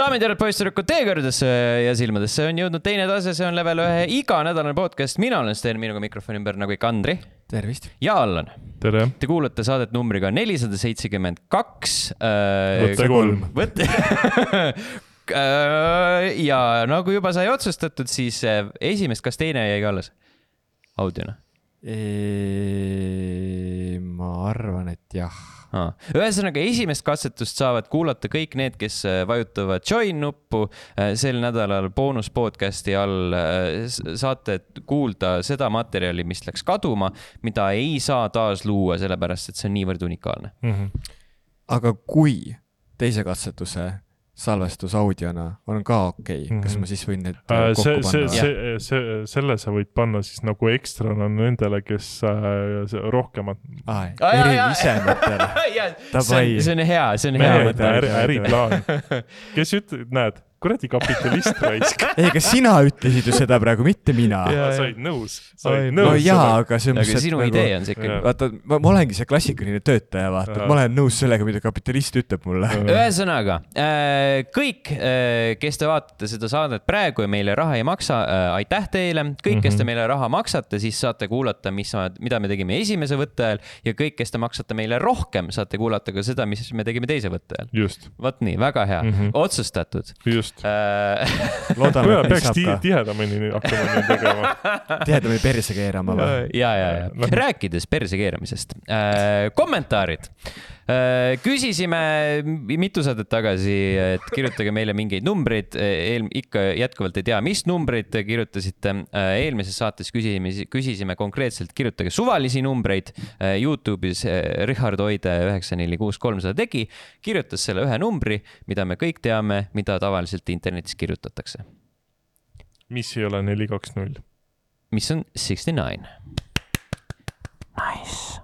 Daamid ja härrad, poisssüdrukud, teie kõrgedesse ja silmadesse on jõudnud teine tase, see on level 1 iganädalane podcast. Mina olen Sten, minuga mikrofoni ümber nagu ikka Andri. Tervist. Ja Allan. Tere. Te kuulate saadet numbriga 472. Võtte 3. Ja nagu juba sai otsustatud, siis esimest, kas teine jäi ka alles audiona? Ma arvan, et jah. Ühesõnaga, esimest katsetust saavad kuulata kõik need, kes vajutavad join nuppu. Sel nädalal boonus podcasti all saate kuulda seda materjali, mis läks kaduma, mida ei saa taas luua, sellepärast, et see on niivõrd unikaalne. Aga kui teise katsetuse salvestus audiona on ka okei, kas ma siis võin need kokku panna? Selle sa võid panna siis nagu ekstrana nendele, kes rohkemat... Erivisematele. See on hea, see on hea. Äriplaan. Kes ütled, näed, kuradi kapitalist raisk. Kas sina ütlesid ju seda praegu, mitte mina. Said nõus. No jaa, aga see on sinu idee on see ikkagi. Vaata, ma olengi see klassikaline töötaja, vaata. Ma olen nõus sellega, mida kapitalist ütleb mulle. Ühesõnaga, kõik, kes te vaatate seda saadet praegu ja meile raha ei maksa, aitäh teile. Kõik, kes te meile raha maksate, siis saate kuulata, mida me tegime esimese võtte ajal, ja kõik, kes te maksate meile rohkem, saate kuulata ka seda, mis me tegime teise võtte ajal. Just. Vaat nii, väga hea. Otsustatud. Just. Loodame, peaks tihedamini hakkama nii tegema. Tihedamini perse keerama või? Ja. Rääkides perse keeramisest. Kommentaarid. Küsisime mitu saadet tagasi, et kirjutage meile mingeid numbreid. Ikka jätkuvalt ei tea, mis numbreid kirjutasite. Eelmises saates küsisime konkreetselt, kirjutage suvalisi numbreid. YouTube'is Richard Oide 946 seda tegi. Kirjutas selle ühe numbri, mida me kõik teame, mida tavaliselt internetis kirjutatakse. Mis ei ole 420? Mis on 69. Nice.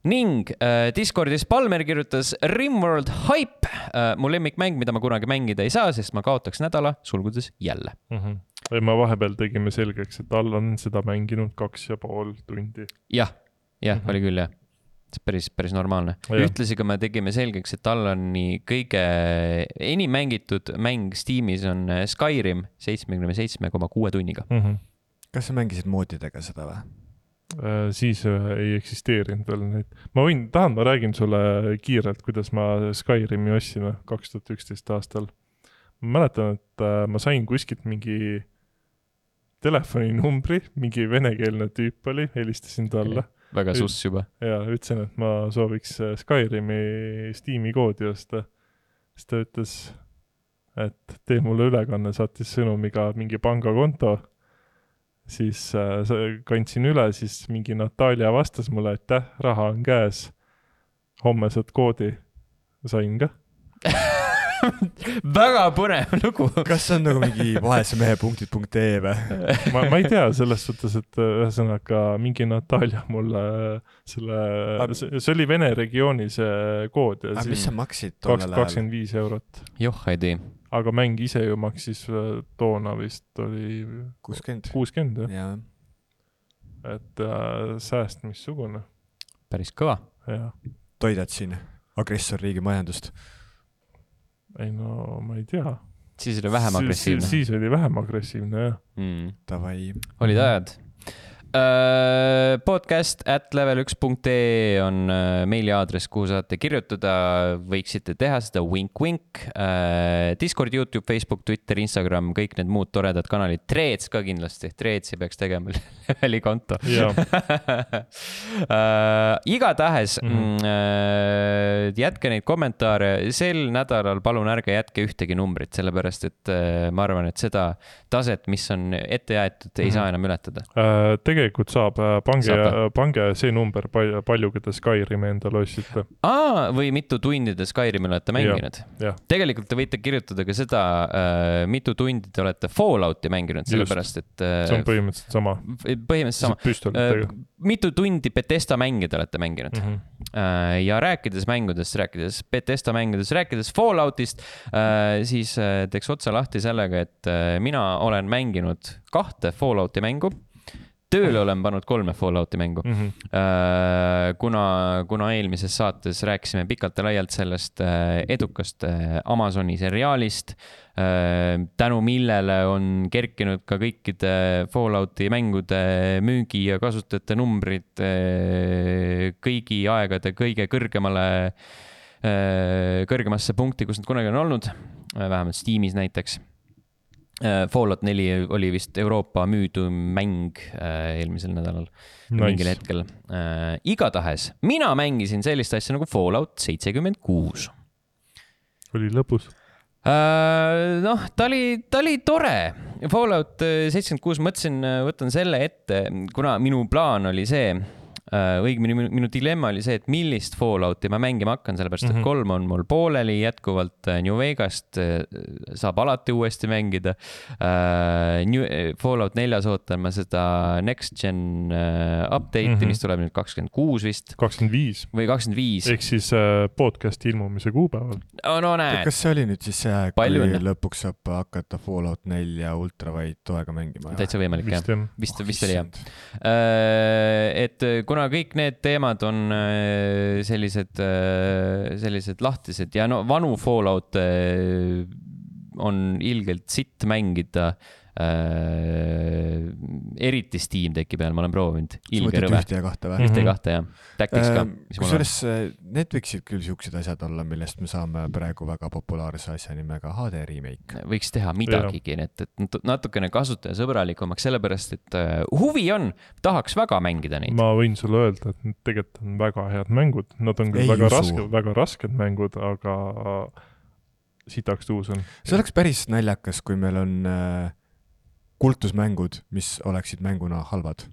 Ning Discordis Palmer kirjutas Rimworld Hype, mu lemmikmäng, mida ma kunagi mängida ei saa, sest ma kaotaks nädala, sulgudes jälle. Ma vahepeal tegime selgeks, et Allan seda mänginud 2,5 tundi. Jah, oli küll jah. Päris normaalne. Ühtlasi ka me tegime selgeks, et Allani kõige enim mängitud mäng Steamis on Skyrim 77,6 tunniga. Kas sa mängisid moodidega seda või? Siis ei eksisteerinud veel neid. Ma räägin sulle kiirelt, kuidas ma Skyrimi ostsin 2011 aastal. Ma mäletan, et ma sain kuskilt mingi telefoninumbri, mingi venekeelne tüüp oli, helistasin talle. Väga suss juba. Ja ütlesin, et ma sooviks Skyrimi Steam'i koodi osta. Siis ta ütles, et tee mulle ülekanne, saatis sõnumiga mingi pangakonto. Siis kandsin üle, siis mingi Natalja vastas mulle, et raha on käes. Homme saad koodi. Sain ka. Väga põnev lugu. Kas see on nagu mingi vaesemehe.ee või? Ma ei tea selles suhtes, et ühesõnaga mingi Natalja mulle see oli Vene regiooni see kood. Aga mis sa maksid tolle 25 €. Joh, ei tea. Aga mäng ise ju maksis toona vist oli 60 jah. Et sääst missugune. Päris kõva. Ja. Toidad siin agressorriigi majandust? Ei no, ma ei tea. Siis oli vähem agressiivne. Siis oli vähem agressiivne, jah. Tavai. Olid ajad. podcast@level1.ee on meiliaadress, kuhu saate kirjutada, võiksite teha seda wink. Discord, YouTube, Facebook, Twitter, Instagram, kõik need muud toredad kanalid. Threads ka kindlasti. Threadsi peaks tegema leveli konto. Igatahes jätke neid kommentaare. Sel nädalal palun ärge jätke ühtegi numbrit, sellepärast et ma arvan, et seda taset, mis on ette jäetud, ei saa enam ületada. Tegelikult saab, pange see number palju, keda Skyrimi endale ostsite. Või mitu tundi te Skyrimi olete mänginud. Tegelikult te võite kirjutada ka seda, mitu tundi te olete Fallouti mänginud, sellepärast et see on põhimõtteliselt sama. Mitu tundi Bethesda mängida olete mänginud. Ja rääkides Bethesda mängudest, rääkides Falloutist, siis teeks otsa lahti sellega, et mina olen mänginud 2 Fallouti mängu. tööle olen pannud 3 Fallouti mängu. Kuna eelmises saates rääkisime pikalt ja laialt sellest edukast Amazoni seriaalist, tänu millele on kerkinud ka kõikide Fallouti mängude müügi ja kasutajate numbrid kõigi aegade kõige kõrgemasse punkti, kus nad kunagi on olnud, vähemalt Steamis näiteks. Fallout 4 oli vist Euroopa müüdum mäng eelmisel nädalal mingil hetkel. Igatahes, mina mängisin sellist asja nagu Fallout 76. Oli lõbus? Noh, ta oli tore. Fallout 76 mõtlesin, võtan selle ette, kuna minu plaan oli see, õigemini minu dilemma oli see, et millist Fallouti ma mängima hakkan, sellepärast et 3 on mul pooleli jätkuvalt New Vegast, saab alati uuesti mängida. Fallout 4 ootan ma seda Next Gen update'i, mis tuleb nüüd 26 vist. 25. Või 25. Ehk siis podcasti ilmumise kuupäeval. No näed. Kas see oli nüüd siis see, kui lõpuks saab hakata Fallout 4 ultravide toega mängima? Täitsa võimalik, jah. Vist oli, jah. Et kuna kõik need teemad on sellised lahtised ja no vanu Fallout on ilgelt sitt mängida, eriti Steam Decki peal, ma olen proovinud. Ilge rõve. Ühte ja kahte või? Ühte ja kahte, jah. Tactics ka. Kusjuures need võiksid küll siuksed asjad olla, millest me saame praegu väga populaarse asja nimega HD remake. Võiks teha midagigi, et natukene kasutajasõbralikumaks, sellepärast, et huvi on, tahaks väga mängida neid. Ma võin sulle öelda, et need tegelikult on väga head mängud. Nad on küll väga rasked mängud, aga sitaks tuus on. See oleks päris naljakas, kui meil on kultusmängud, mis oleksid mänguna halvad.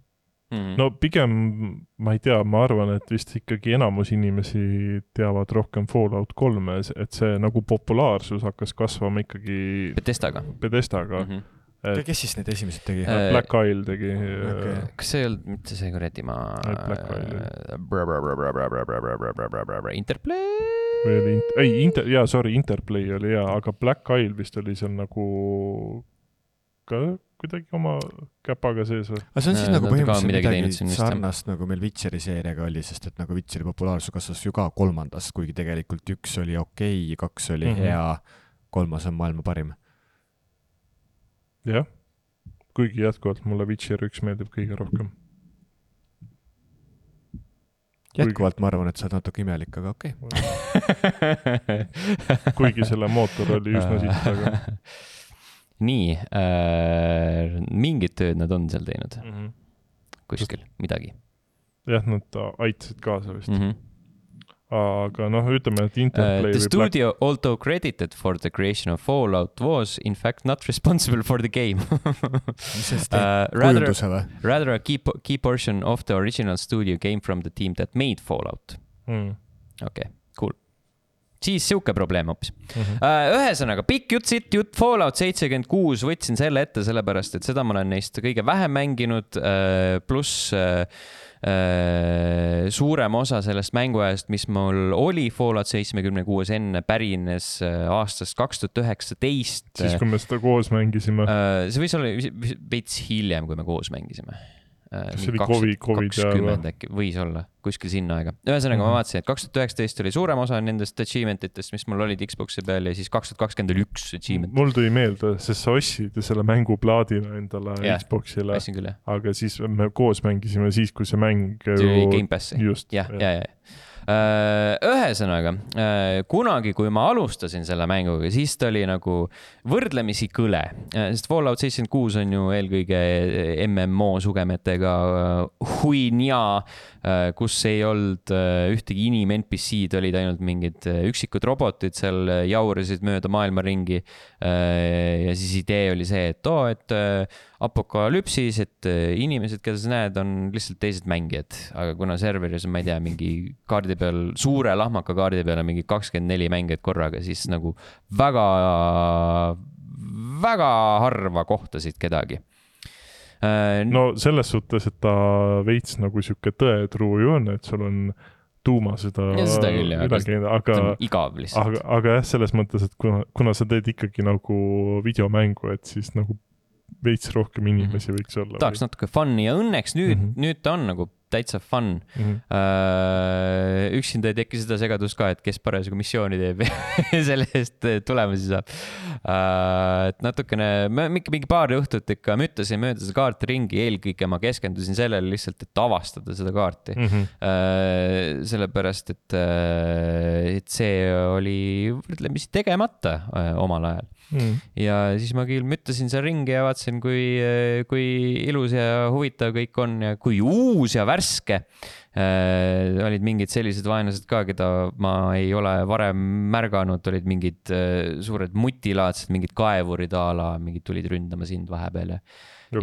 No pigem, ma ei tea, ma arvan, et vist ikkagi enamus inimesi teavad rohkem Fallout 3, et see nagu populaarsus hakkas kasvama ikkagi Bethesdaga. Kes siis need esimesed tegi? Black Isle tegi. Kas see ei olnud mitte see kuradi Interplay? Interplay oli hea, aga Black Isle vist oli seal nagu ka kuidagi oma käpaga sees või? Aga see on siis nagu põhimõtteliselt midagi sarnast, nagu meil Witcheri seeriaga oli, sest et nagu Witcheri populaarsus kasvas ju ka 3, kuigi tegelikult 1 oli okei, 2 oli hea, 3 on maailma parim. Jah, kuigi jätkuvalt mulle Witcher 1 meeldib kõige rohkem. Jätkuvalt ma arvan, et sa oled natuke imelik, aga okei. Kuigi selle mootor oli üsna siit, aga... Nii, mingid tööd nad on seal teinud. Kuskil, midagi. Jah, nad aitasid kaasa vist. Aga noh, ütleme, et Interplay... The studio although credited for the creation of Fallout was in fact not responsible for the game. Mis see kujunduse või? Rather a key portion of the original studio came from the team that made Fallout. Okay, cool. Siis siuke probleem hoopis. Ühesõnaga, pikk jutt Fallout 76 võtsin selle ette sellepärast, et seda ma olen neist kõige vähem mänginud, pluss suurem osa sellest mänguajast, mis mul oli Fallout 76 enne, pärines aastast 2019. Siis, kui me seda koos mängisime. See võis olla veits hiljem, kui me koos mängisime. See oli COVID 20 äkki, võis olla, kuskil sinna aega. Ühesõnaga ma vaatasin, et 2019 oli suurem osa nendest achievementitest, mis mul olid Xboxi peal ja siis 2020 oli 1 achievement. Mul tuli meelde, sest sa ostsid selle mänguplaadina endale Xboxile, aga siis me koos mängisime siis, kui see mäng... See oli Game Passi. Just. Ja. Ühesõnaga, kunagi, kui ma alustasin selle mänguga, siis ta oli nagu võrdlemisi kõle, sest Fallout 76 on ju eelkõige MMO sugemetega huinja, kus ei olnud ühtegi inim-NPC-d, olid ainult mingid üksikud robotid seal jaurisid mööda maailma ringi ja siis idee oli see, et apokalüpsis, et inimesed, keda sa näed, on lihtsalt teised mängijad, aga kuna serveris on, ma ei tea, mingi kaardi peal, suure lahmaka kaardi peal on mingi 24 mängijad korraga, siis nagu väga harva kohtasid kedagi. No selles suhtes, et ta veits nagu siuke tõetruu ju on, et sul on tuuma seda küll, aga igav lihtsalt. Aga jah, selles mõttes, et kuna sa teed ikkagi nagu videomängu, et siis nagu veits rohkem inimesi võiks olla. Tahaks natuke fun'i ja õnneks nüüd ta on nagu täitsa fun. Üksinda ei teki seda segadust ka, et kes parasjagu missiooni teeb selle eest tulemusi saab. Et natukene, mingi paar õhtut ikka müttasin mööda seda kaarti ringi, eelkõige ma keskendusin sellele lihtsalt, et avastada seda kaarti. Sellepärast, et see oli võrdlemisi tegemata omal ajal. Ja siis ma küll müttasin seal ringi ja vaatasin, kui ilus ja huvitav kõik on ja kui uus ja värske. Olid mingid sellised vaenlased ka, keda ma ei ole varem märganud, olid mingid suured mutilaadsed, mingid kaevurid a la, mingid tulid ründama sind vahepeal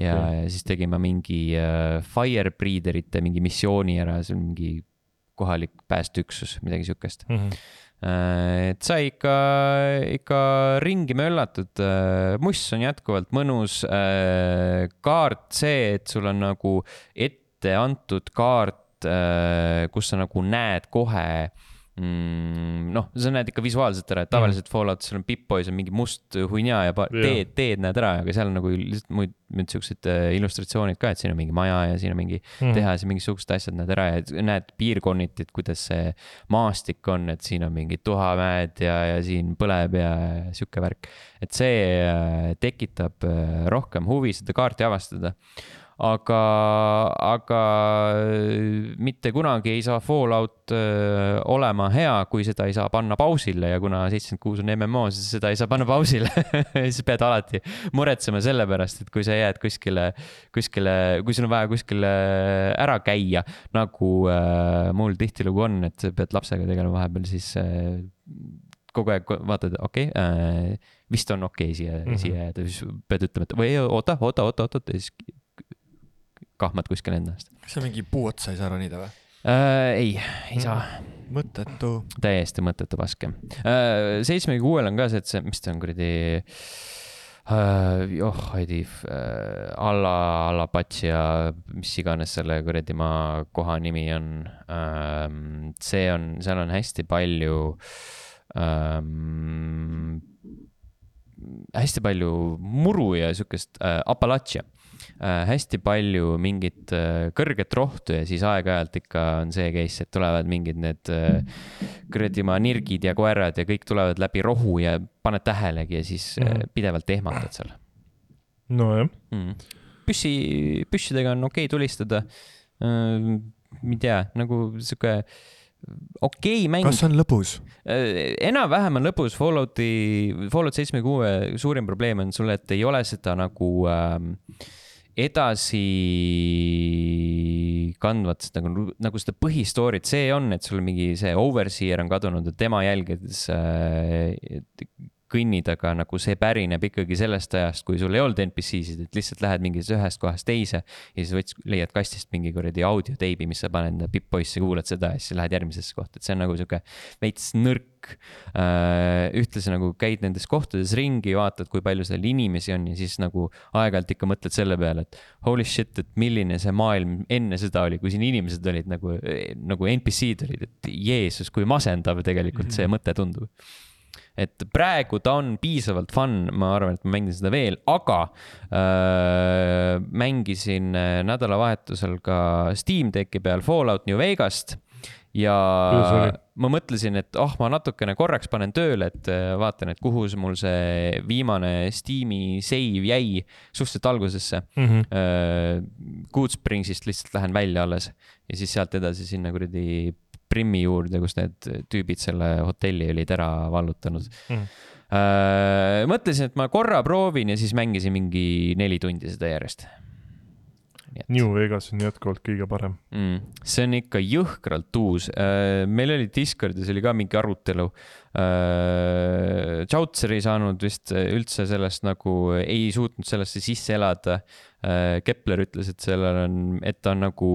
ja siis tegime mingi Firebreederite mingi missiooni ära, see on mingi kohalik päästeüksus, midagi sükest. Et sai ikka ringi möllatud. Muss on jätkuvalt mõnus. Kaart see, et sul on nagu ette antud kaart, kus sa nagu näed kohe, sa näed ikka visuaalselt ära, et tavaliselt Falloutis sul on Pip-Boys on mingi must hunja ja teed näed ära, aga seal on nagu lihtsalt muid siuksed illustratsioonid ka, et siin on mingi maja ja siin on mingi tehas ja mingisugused asjad näed ära ja näed piirkonniti, et kuidas see maastik on, et siin on mingid tuhamäed ja siin põleb ja siuke värk. Et see tekitab rohkem huvi seda kaarti avastada. Aga mitte kunagi ei saa Fallout olema hea, kui seda ei saa panna pausile ja kuna 76 on MMO, siis seda ei saa panna pausile. Siis pead alati muretsema selle pärast, et kui sa jääd kuskile, kui sul on vaja kuskile ära käia, nagu mul tihtilugu on, et pead lapsega tegelema vahepeal, siis kogu aeg vaatad, vist on siia jääda, siis pead ütlema, et või oota, ja siis kahmad kuskil endast. Kas see mingi puu otsa ei saa ronida või? Ei saa. Mõttetu. Täiesti mõttetu paske. 76 on ka see, et see, mis ta on kuradi alla patsi ja mis iganes selle kuradi maa koha nimi on. Seal on hästi palju muru ja sükest Appalachia. Hästi palju mingit kõrget rohtu ja siis aeg-ajalt ikka on see case, et tulevad mingid need kõredimaa nirgid ja koerad ja kõik tulevad läbi rohu ja paned tähelegi ja siis pidevalt ehmatad seal. No jah. Püssidega on tulistada. Ei tea, nagu siuke mäng. Kas on lõbus? Enam-vähem on lõbus. Fallout 76 suurim probleem on sulle, et ei ole seda nagu edasi kandvat nagu seda põhistoorit. See on, et sul mingi see overseer on kadunud ja tema jälgides kõnnid, aga nagu see pärineb ikkagi sellest ajast, kui sul ei olnud NPC-sid, et lihtsalt lähed mingis ühest kohast teise ja siis leiad kastist mingi kuradi audioteibi, mis sa paned Pip-Boysse, kuulad seda ja siis lähed järgmisesse kohta, et see on nagu siuke veits nõrk. Ühtlasi nagu käid nendes kohtades ringi, vaatad, kui palju seal inimesi on ja siis nagu aeg-ajalt ikka mõtled selle peale, et holy shit, et milline see maailm enne seda oli, kui siin inimesed olid nagu NPC-d olid, et Jeesus, kui masendav tegelikult see mõte tundub. Et praegu ta on piisavalt fun, ma arvan, et ma mängin seda veel, aga mängisin nädalavahetusel ka Steam Decki peal Fallout New Vegast ja ma mõtlesin, et ma natukene korraks panen tööle, et vaatan, et kuhu mul see viimane Steam'i save jäi suhteliselt algusesse. Goodspringsist lihtsalt lähen välja alles ja siis sealt edasi sinna kuradi Primmi juurde, kus need tüübid selle hotelli olid ära vallutanud. Mõtlesin, et ma korra proovin ja siis mängisin mingi 4 tundi seda järjest. New Vegas on jätkuvalt kõige parem. See on ikka jõhkralt uus. Meil oli Discordis oli ka mingi arutelu. Chautzer ei saanud vist üldse sellest nagu, ei suutnud sellesse sisse elada. Kepler ütles, et ta on nagu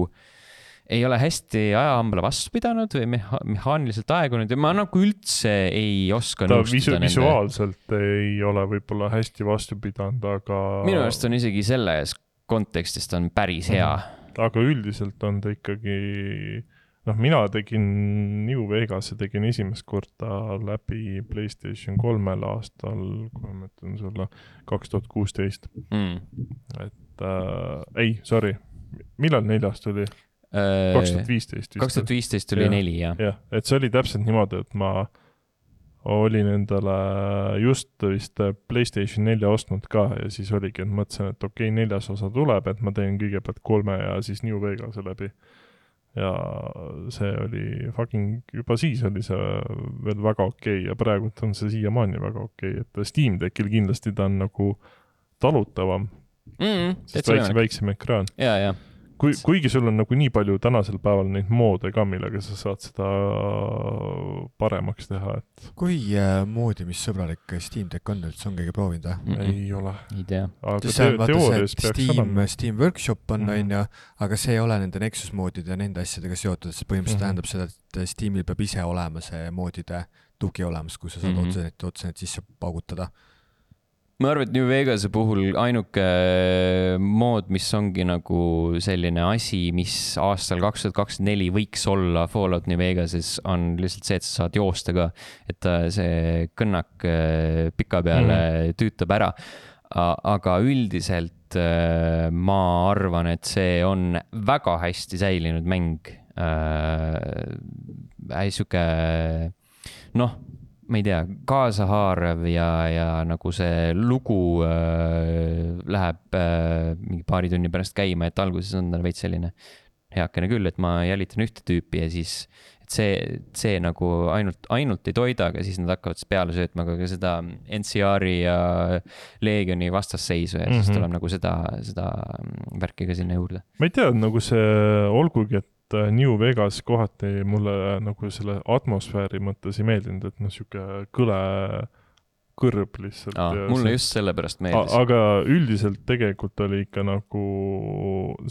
ei ole hästi ajahambale vastu pidanud või mehaaniliselt aegunud ja ma nagu üldse ei oska nõustuda nende. Visuaalselt ei ole võib-olla hästi vastu pidanud, aga minu arust on isegi selles kontekstist on päris hea. Aga üldiselt on ta ikkagi mina tegin New Vegas'e tegin esimest korda läbi PlayStation 3 aastal, kui ma mõtlen sulle, 2016. Et ei, sorry, millal 4 tuli? 2015 vist. 2015 tuli 4, jah. Jah, et see oli täpselt niimoodi, et ma olin endale just vist PlayStation 4 ostnud ka ja siis oligi, et mõtlesin, et okei, 4. osa tuleb, et ma teen kõigepealt 3 ja siis New Vegas'e läbi. Ja see oli juba siis oli see veel väga okei ja praegult on see siiamaani väga okei, et Steam Deckil kindlasti ta on nagu talutavam, sest väiksem ekraan. Ja. Kuigi sul on nagu nii palju tänasel päeval neid moode ka, millega sa saad seda paremaks teha, et... Kui moodi, mis sõbralik Steam Deck on üldse, on kõige proovinud? Ei ole. Ei tea. Aga teoorias peaks olema. Steam Workshop on, aga see ei ole nende Nexus moodide ja nende asjadega seotud, see põhimõtteliselt tähendab seda, et Steamil peab ise olema see moodide tugi olemas, kui sa saad otsenet sisse paugutada. Ma arvan, et New Vegas'e puhul ainuke mood, mis ongi nagu selline asi, mis aastal 2024 võiks olla Fallout New Vegas'es, on lihtsalt see, et sa saad joosta ka, et see kõnnak pika peale tüütab ära. Aga üldiselt ma arvan, et see on väga hästi säilinud mäng. Siuke, ma ei tea, kaasahaarav ja nagu see lugu läheb mingi paari tunni pärast käima, et alguses on tal veits selline heakene küll, et ma jälitan ühte tüüpi ja siis et see nagu ainult ei toida, aga siis nad hakkavad peale söötma ka seda NCR-i ja Legioni vastasseisu ja siis tuleb nagu seda värki ka sinna juurde. Ma ei tea, nagu see olgugi, et New Vegas kohati mulle nagu selle atmosfääri mõttes ei meeldinud, et siuke kõle kõrb lihtsalt. Mulle just sellepärast meeldis. Aga üldiselt tegelikult oli ikka nagu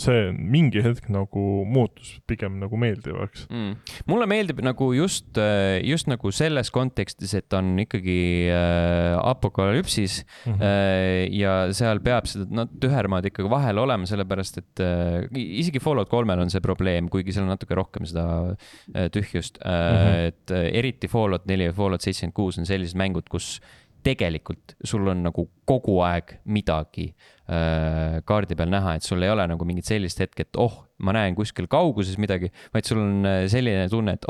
see mingi hetk nagu muutus pigem nagu meeldivaks. Mulle meeldib nagu just nagu selles kontekstis, et on ikkagi apokalüpsis ja seal peab seda tühermaad ikkagi vahel olema, sellepärast et isegi Fallout 3 on see probleem, kuigi seal on natuke rohkem seda tühjust. Et eriti Fallout 4 ja Fallout 76 on sellised mängud, kus tegelikult sul on nagu kogu aeg midagi kaardi peal näha, et sul ei ole nagu mingit sellist hetke, et ma näen kuskil kauguses midagi, vaid sul on selline tunne, et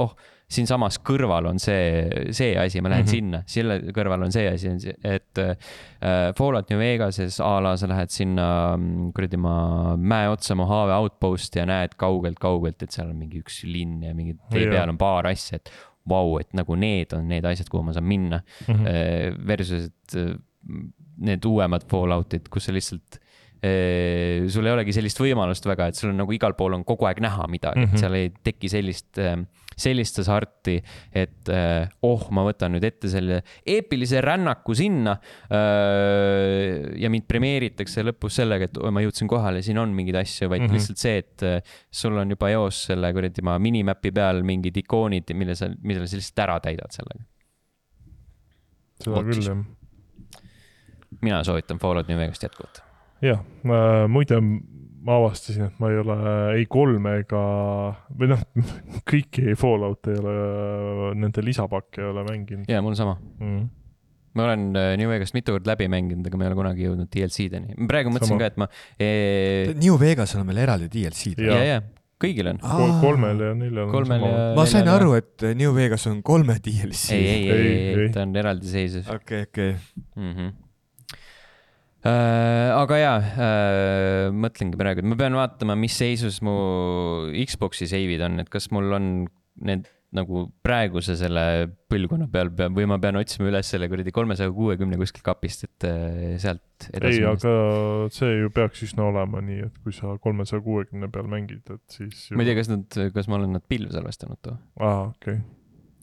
siin samas kõrval on see asi, ma lähen sinna, selle kõrval on see asi, et Fallout New Vegas'es ala sa lähed sinna mäe otsa Mojave Outpost ja näed kaugelt, et seal on mingi üks linn ja mingi tee peal on paar asja, et vau, et nagu need on need asjad, kuhu ma saan minna versus need uuemad Falloutid, kus sa lihtsalt sul ei olegi sellist võimalust väga, et sul on nagu igal pool on kogu aeg näha midagi, et seal ei teki sellist hasarti, et ma võtan nüüd ette selle eepilise rännaku sinna ja mind premeeritakse lõpus sellega, et ma jõudsin kohale, siin on mingeid asju, vaid lihtsalt see, et sul on juba eos selle minimapi peal mingid ikoonid, mille sa lihtsalt ära täidad sellega. Seda küll, jah. Mina soovitan Fallout New Vegas'it jätkuvalt. Jah, muide ma avastasin, et ma ei ole ei 3 ega või kõiki Fallout ei ole, nende lisapakke ei ole mänginud. Jaa, mul sama. Ma olen New Vegas'it mitu kord läbi mänginud, aga ma ei ole kunagi jõudnud DLC-deni. Praegu mõtlesin ka, et ma... New Vegas'il on meil eraldi DLC-d. Jaa, kõigil on. 3 ja 4 on sama. Ma sain aru, et New Vegas on 3 DLC. Ei, ta on eraldi seisus. Okei. Aga mõtlengi praegu, et ma pean vaatama, mis seisus mu Xbox'i seivid on, et kas mul on need nagu praeguse selle põlvkonna peal või ma pean otsima üles selle 360 kuskil kapist, et sealt edasi. Ei, aga see ju peaks üsna olema nii, et kui sa 360 peal mängid, et siis... Ma ei tea, kas ma olen nad pilvsalvestanud too. Okei.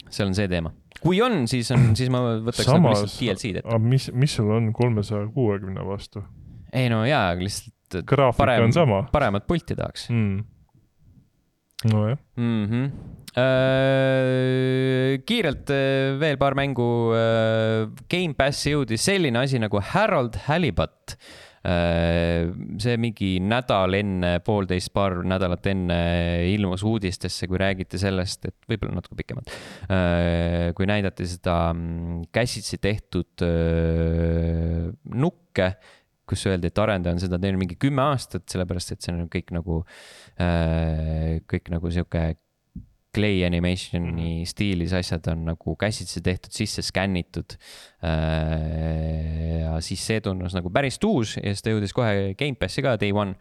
See on see teema. Kui on, siis ma võtaks nagu lihtsalt DLC-d ette. Mis sul on 360 vastu? Ei no jaa, lihtsalt graafika on sama. Paremat pulti tahaks. No jah. Kiirelt veel paar mängu. Game Passi jõudis selline asi nagu Harold Halibut. see mingi paar nädalat enne ilmus uudistesse, kui räägiti sellest, et võib-olla natuke pikemalt, kui näidati seda käsitsi tehtud nukke, kus öeldi, et arendaja on seda teinud mingi 10 aastat, sellepärast, et see on kõik nagu siuke clay animationi stiilis asjad on nagu käsitsi tehtud, sisse skännitud. Ja siis see tunnus nagu päris uus ja siis ta jõudis kohe Game Passi ka day one.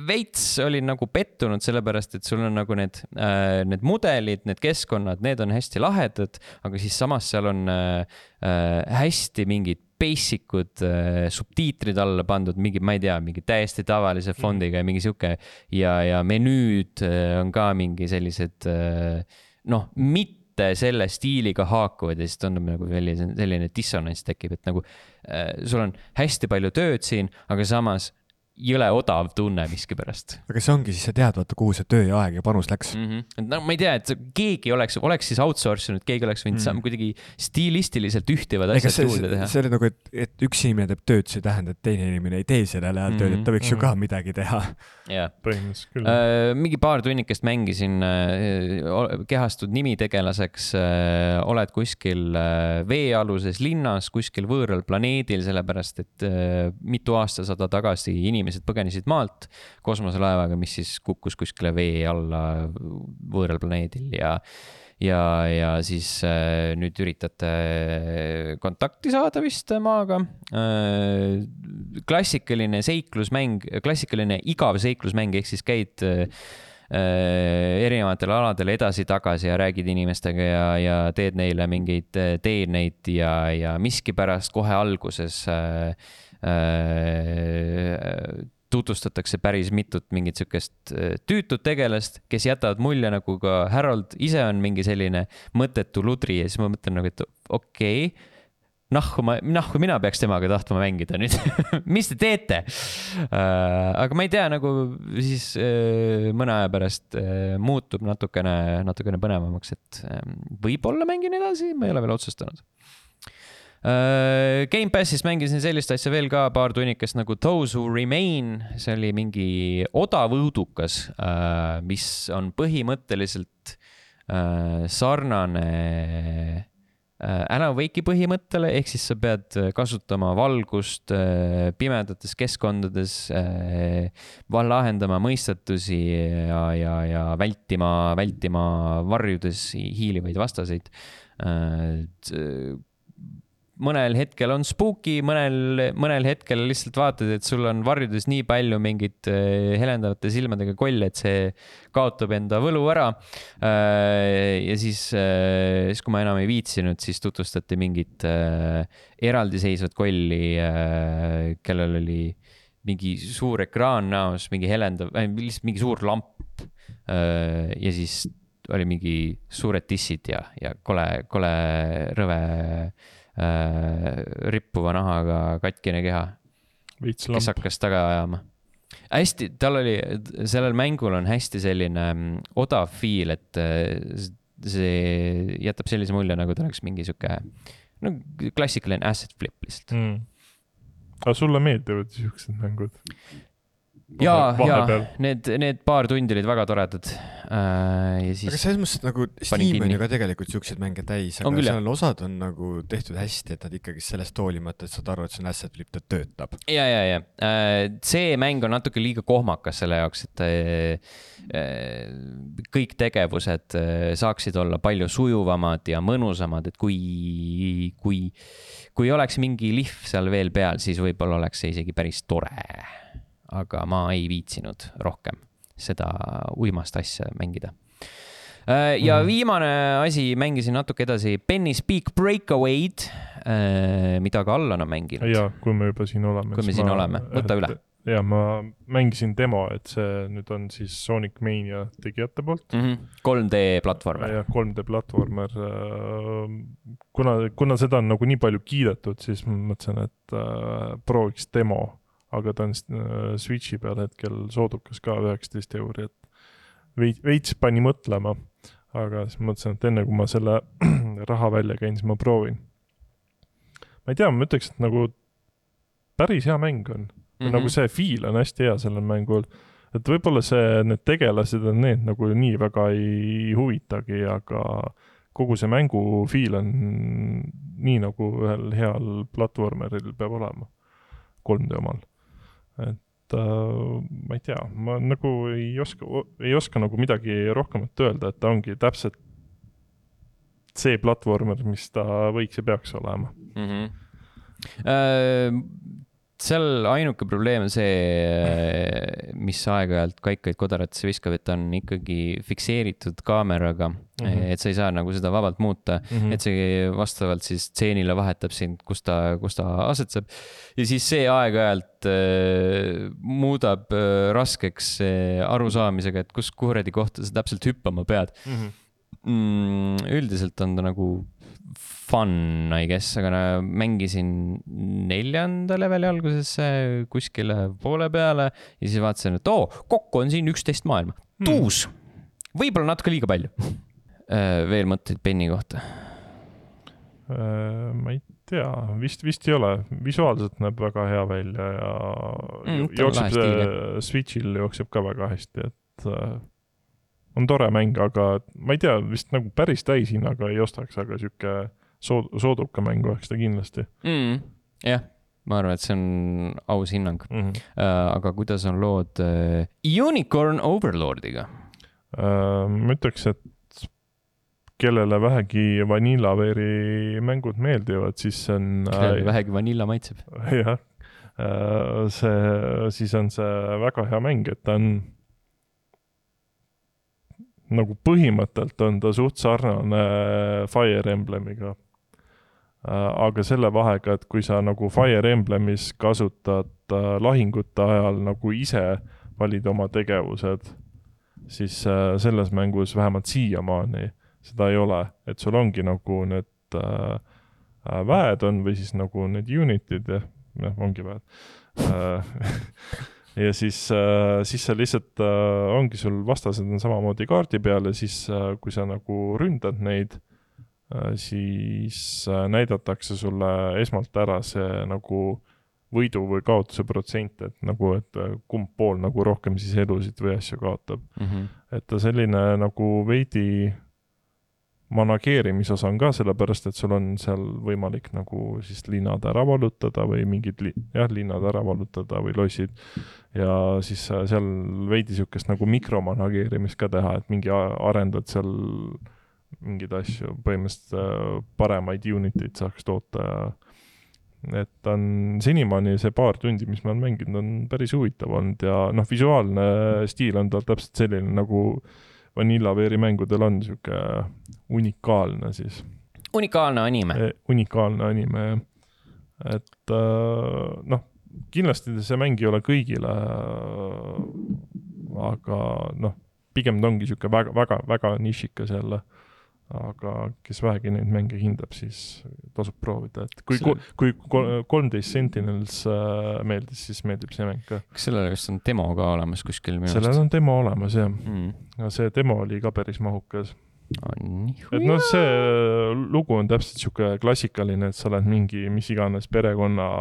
Veits olin nagu pettunud sellepärast, et sul on nagu need mudelid, need keskkonnad, need on hästi lahedad, aga siis samas seal on hästi mingid basic'ud subtiitrid alla pandud, ma ei tea, mingi täiesti tavalise fondiga ja mingi siuke ja menüüd on ka mingi sellised, mitte selle stiiliga haakuvad ja siis tundub nagu selline dissonants tekib, et nagu sul on hästi palju tööd siin, aga samas jõle odav tunne miskipärast. Aga see ongi siis, sa tead, vaata, kuhu see töö ja aeg ja panus läks. No ma ei tea, et keegi oleks siis outsourcinud, keegi oleks võinud kuidagi stiilistiliselt ühtivad asjad juurde teha. See oli nagu, et üks inimene teeb tööd, see tähendab, et teine inimene ei tee sellele ajal tööd, et ta võiks ju ka midagi teha. Jaa. Põhimõtteliselt küll. Mingi paar tunnikest mängisin, kehastud nimitegelaseks, oled kuskil veealuses linnas, kuskil võõral planeedil, sellepärast, et mitu aastasada tagasi inimesed põgenisid maalt kosmoselaevaga, mis siis kukkus kuskile vee alla võõral planeedil ja siis nüüd üritate kontakti saada vist maaga. Klassikaline igav seiklusmäng, ehk siis käid erinevatel aladel edasi-tagasi ja räägid inimestega ja teed neile mingeid teeneid ja miskipärast kohe alguses tutvustatakse päris mitut mingit sükest tüütut tegelast, kes jätavad mulje nagu ka Harold ise on mingi selline mõttetu ludri ja siis ma mõtlen nagu, et okei, nahku mina peaks temaga tahtma mängida nüüd. Mis te teete? Aga ma ei tea, nagu siis mõne aja pärast muutub natukene põnevamaks, et võib-olla mängin edasi, ma ei ole veel otsustanud. Game Passis mängisin sellist asja veel ka paar tunnikest nagu Those Who Remain, see oli mingi odav õudukas, mis on põhimõtteliselt sarnane Alan Wake'i põhimõttele, ehk siis sa pead kasutama valgust pimedates keskkondades, lahendama mõistatusi ja vältima varjudes hiilivaid vastaseid. Mõnel hetkel on spooky, mõnel hetkel lihtsalt vaatad, et sul on varjudes nii palju mingit helendavate silmadega koll, et see kaotab enda võlu ära. Ja siis kui ma enam ei viitsinud, siis tutvustati mingit eraldiseisvat kolli, kellel oli mingi suur ekraan näos, mingi helendav, lihtsalt mingi suur lamp. Ja siis oli mingi suured tissid ja kole rõve rippuva nahaga katkine keha, kes hakkas taga ajama. Hästi, sellel mängul on hästi selline odav feel, et see jätab sellise mulje, nagu ta oleks mingi siuke klassikaline asset flip lihtsalt. Aga sulle meeldivad siuksed mängud? Ja need paar tundi olid väga toredad. Ja siis aga selles mõttes, nagu Steam on ju ka tegelikult siuksed mänge täis, aga seal osad on nagu tehtud hästi, et nad ikkagi sellest hoolimata, et saad aru, et see on asset flip, ta töötab. Ja. See mäng on natuke liiga kohmakas selle jaoks, et kõik tegevused saaksid olla palju sujuvamad ja mõnusamad, et kui oleks mingi lihv seal veel peal, siis võib-olla oleks see isegi päris tore. Aga ma ei viitsinud rohkem seda uimast asja mängida. Ja viimane asi, mängisin natuke edasi Penny's Peak Breakaway'd, mida ka Allan on mänginud. Ja, kui me juba siin oleme. Kui me siin oleme, võta üle. Ja, ma mängisin demo, et see nüüd on siis Sonic Mania tegijate poolt. 3D platvormer. Ja, 3D platvormer. Kuna seda on nagu nii palju kiidetud, siis ma mõtlesin, et prooviks demo. Aga ta on Switchi peal hetkel soodukas ka 19 €, et veits pani mõtlema, aga siis mõtlesin, et enne kui ma selle raha välja käin, siis ma proovin. Ma ei tea, ma ütleks, et nagu päris hea mäng on. Nagu see feel on hästi hea sellel mängul. Et võib-olla need tegelased on need nagu nii väga ei huvitagi, aga kogu see mängu feel on nii nagu ühel heal platvormeril peab olema 3D omal. Et ma ei tea, ma nagu ei oska nagu midagi rohkemat öelda, et ta ongi täpselt see platvormer, mis ta võiks ja peaks olema. Seal ainuke probleem on see, mis aeg-ajalt kaikaid kodaratesse viskab, et ta on ikkagi fikseeritud kaameraga, et sa ei saa nagu seda vabalt muuta, et see vastavalt siis stseenile vahetab sind, kus ta asetseb. Ja siis see aeg-ajalt muudab raskeks arusaamisega, et kus kuradi kohta sa täpselt hüppama pead. Üldiselt on ta nagu fun, I guess, aga mängisin 4. leveli algusesse kuskile poole peale ja siis vaatasin, et kokku on siin 11 maailma. Tuus! Võib-olla natuke liiga palju. Veel mõtteid Penny kohta? Ma ei tea, vist ei ole. Visuaalselt näeb väga hea välja ja jookseb Switchil jookseb ka väga hästi, et on tore mäng, aga ma ei tea, vist nagu päris täishinnaga ei ostaks, aga siuke sooduka mängu oleks ta kindlasti. Jah, ma arvan, et see on aus hinnang. Aga kuidas on lood Unicorn Overlordiga? Ma ütleks, et kellele vähegi Vanillaveeri mängud meeldivad, siis on... Kellele vähegi vanilla maitseb. Jah, siis on see väga hea mäng, et ta on nagu põhimõttelt on ta suht sarnane Fire Emblemiga. Aga selle vahega, et kui sa nagu Fire Emblemis kasutad lahingute ajal nagu ise valid oma tegevused, siis selles mängus vähemalt siiamaani seda ei ole. Et sul ongi nagu need väed on või siis nagu need unitid ja ongi väed. Ja siis sa lihtsalt ongi sul vastased on samamoodi kaardi peal ja siis kui sa nagu ründad neid, siis näidatakse sulle esmalt ära see nagu võidu või kaotuse protsent, et nagu, et kumb pool nagu rohkem siis elusid või asju kaotab. Et ta selline nagu veidi manageerimisosa on ka sellepärast, et sul on seal võimalik nagu siis linnad ära valutada või mingid linnad ära valutada või lossid ja siis seal veidi siukest nagu mikromanageerimist ka teha, et mingi arendad seal mingid asju, põhimõtteliselt paremaid unitid saaks toota ja et on senimaani see paar tundi, mis ma olen mänginud, on päris huvitav olnud ja visuaalne stiil on tal täpselt selline nagu Vanillaveeri mängudel on siuke unikaalne siis. Unikaalne anime. Unikaalne anime, et kindlasti see mäng ei ole kõigile, aga pigem ta ongi siuke väga, väga, väga nišikas jälle. Aga kes vähegi neid mänge hindab, siis tasub proovida. Et kui 13 Sentinels meeldis, siis meeldib see mäng ka. Kas sellele vist on demo ka olemas kuskil? Sellel on demo olemas, jah. Ja see demo oli ka päris mahukas. Et see lugu on täpselt siuke klassikaline, et sa oled mingi mis iganes perekonna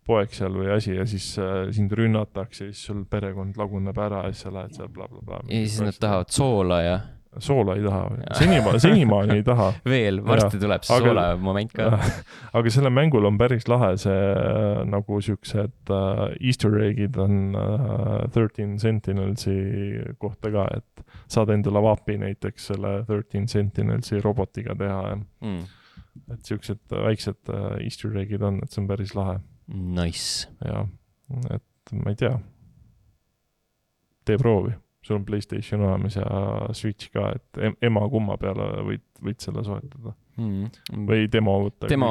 poeg seal või asi ja siis sind rünnatakse ja siis sul perekond laguneb ära ja siis sa lähed seal blablabla. Ja siis nad tahavad soola ja... Soola ei taha, senimaani ei taha. Veel, varsti tuleb see soola moment ka. Aga selle mängul on päris lahe see nagu siuksed Easter egg'id on 13 Sentinelsi kohta ka, et saad endale vapi näiteks selle 13 Sentinelsi robotiga teha. Et siuksed väiksed Easter egg'id on, et see on päris lahe. Nice. Ja, et ma ei tea. Tee proovi. Sul on PlayStation olemas ja Switch ka, et ema kumma peale võid selle soetada. Või demo võtta. Demo,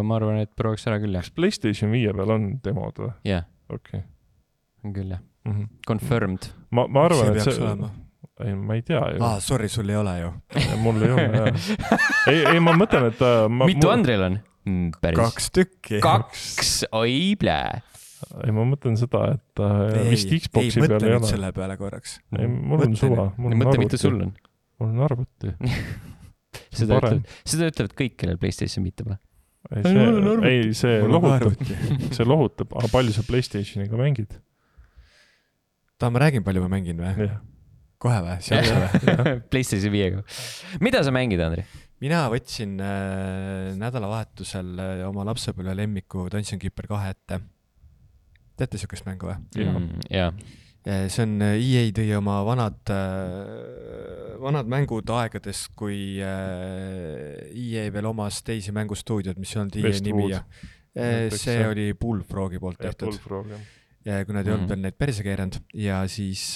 ma arvan, et prooviks ära küll, jah. Kas PlayStation 5 peal on demod või? Jah. Okay. On küll, jah. Confirmed. Ma arvan, et see... Ei, ma ei tea ju. Sorry, sul ei ole ju. Mul ei ole, jah. Ei, ma mõtlen, et... Mitu Andril on? Päris. 2 tükki. 2, oi plää. Ei, ma mõtlen seda, et vist Xboxi peale ei ole. Ei, mõtle nüüd selle peale korraks. Ei, mul on suva. Mõtle, mitte sul on. Mul on arvuti. Seda ütlevad kõik, kellel PlayStation mitte pole. ei, see lohutab, aga palju sa PlayStationiga mängid? Ma räägin, palju ma mängin või? Jah. Kohe või? PlayStation 5-ga. Mida sa mängid, Andri? Mina võtsin nädalavahetusel oma lapsepõlve lemmiku Dungeon Keeper 2 ette. Teate sihukest mängu või? Jaa. See on EA tõi oma vanad mängud aegades, kui EA veel omas teisi mängustuudiod, mis on EA nimi ja see oli Bullfrogi poolt tehtud. Ja kuna te ei olnud veel neid perse keeranud ja siis